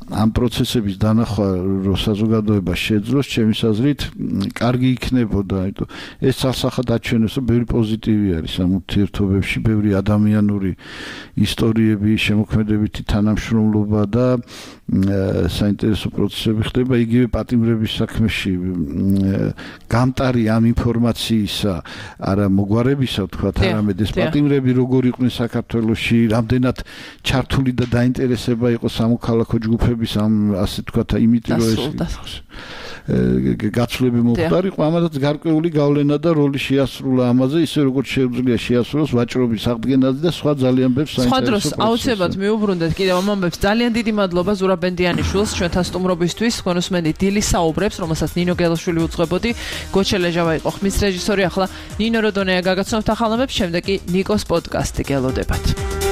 ამ პროცესების დანახვა რო საზოგადოება შეძლოს, ჩემის აზრით, კარგი იქნებოდა, იმიტომ ეს სასახად აჩვენებს, რომ ბევრი პოზიტივი არის ამ ურთიერთობებში, ბევრი ადამიანური ისტორიები, შემოქმედებითი თანამშრომლობა და საინტერესო პროცესები ხდება იგივე პატიმრების საქმეში. გამტარი ამ ინფორმაციისა, არა მოგვარებისა, ვთქვათ, არამედ ეს პატიმრები როგორ იყვნენ საქართველოში, რამდენად ჩართული და დაინტერესება იყო სამოქალაქო ჯგუფების ამ ასე ვთქვათ, იმიტომ რომ ეს გაცვლები მოხდარიყო, ამათაც გარკვეული გავლენა და როლი შეასრულა ამაზე, ისე როგორც შეუძლია შეასრულოს ვაჭრობის აღდგენაზე და სხვა ძალიან ბევრ საინტერესო პროცესებში. სხვა დროს აუცილებლად მიუბრუნდეთ კიდევ ამ ამბებს. ძალიან დიდი მადლობა ზურაბ ბენდიანიშვილს ჩვენთან სტუმრობისთვის. თქვენუსმენდი დილის საუბრებს, რომელსაც ნინო გელაშვილი უძღვებოდი, გოჩელეჟავა იყო ხმის რეჟისორი. ახლა ნინო როდონეა გაგაცნობთ ახალ ამბებს, შემდეგ კი ნიკოს პოდკასტი გელოდებათ.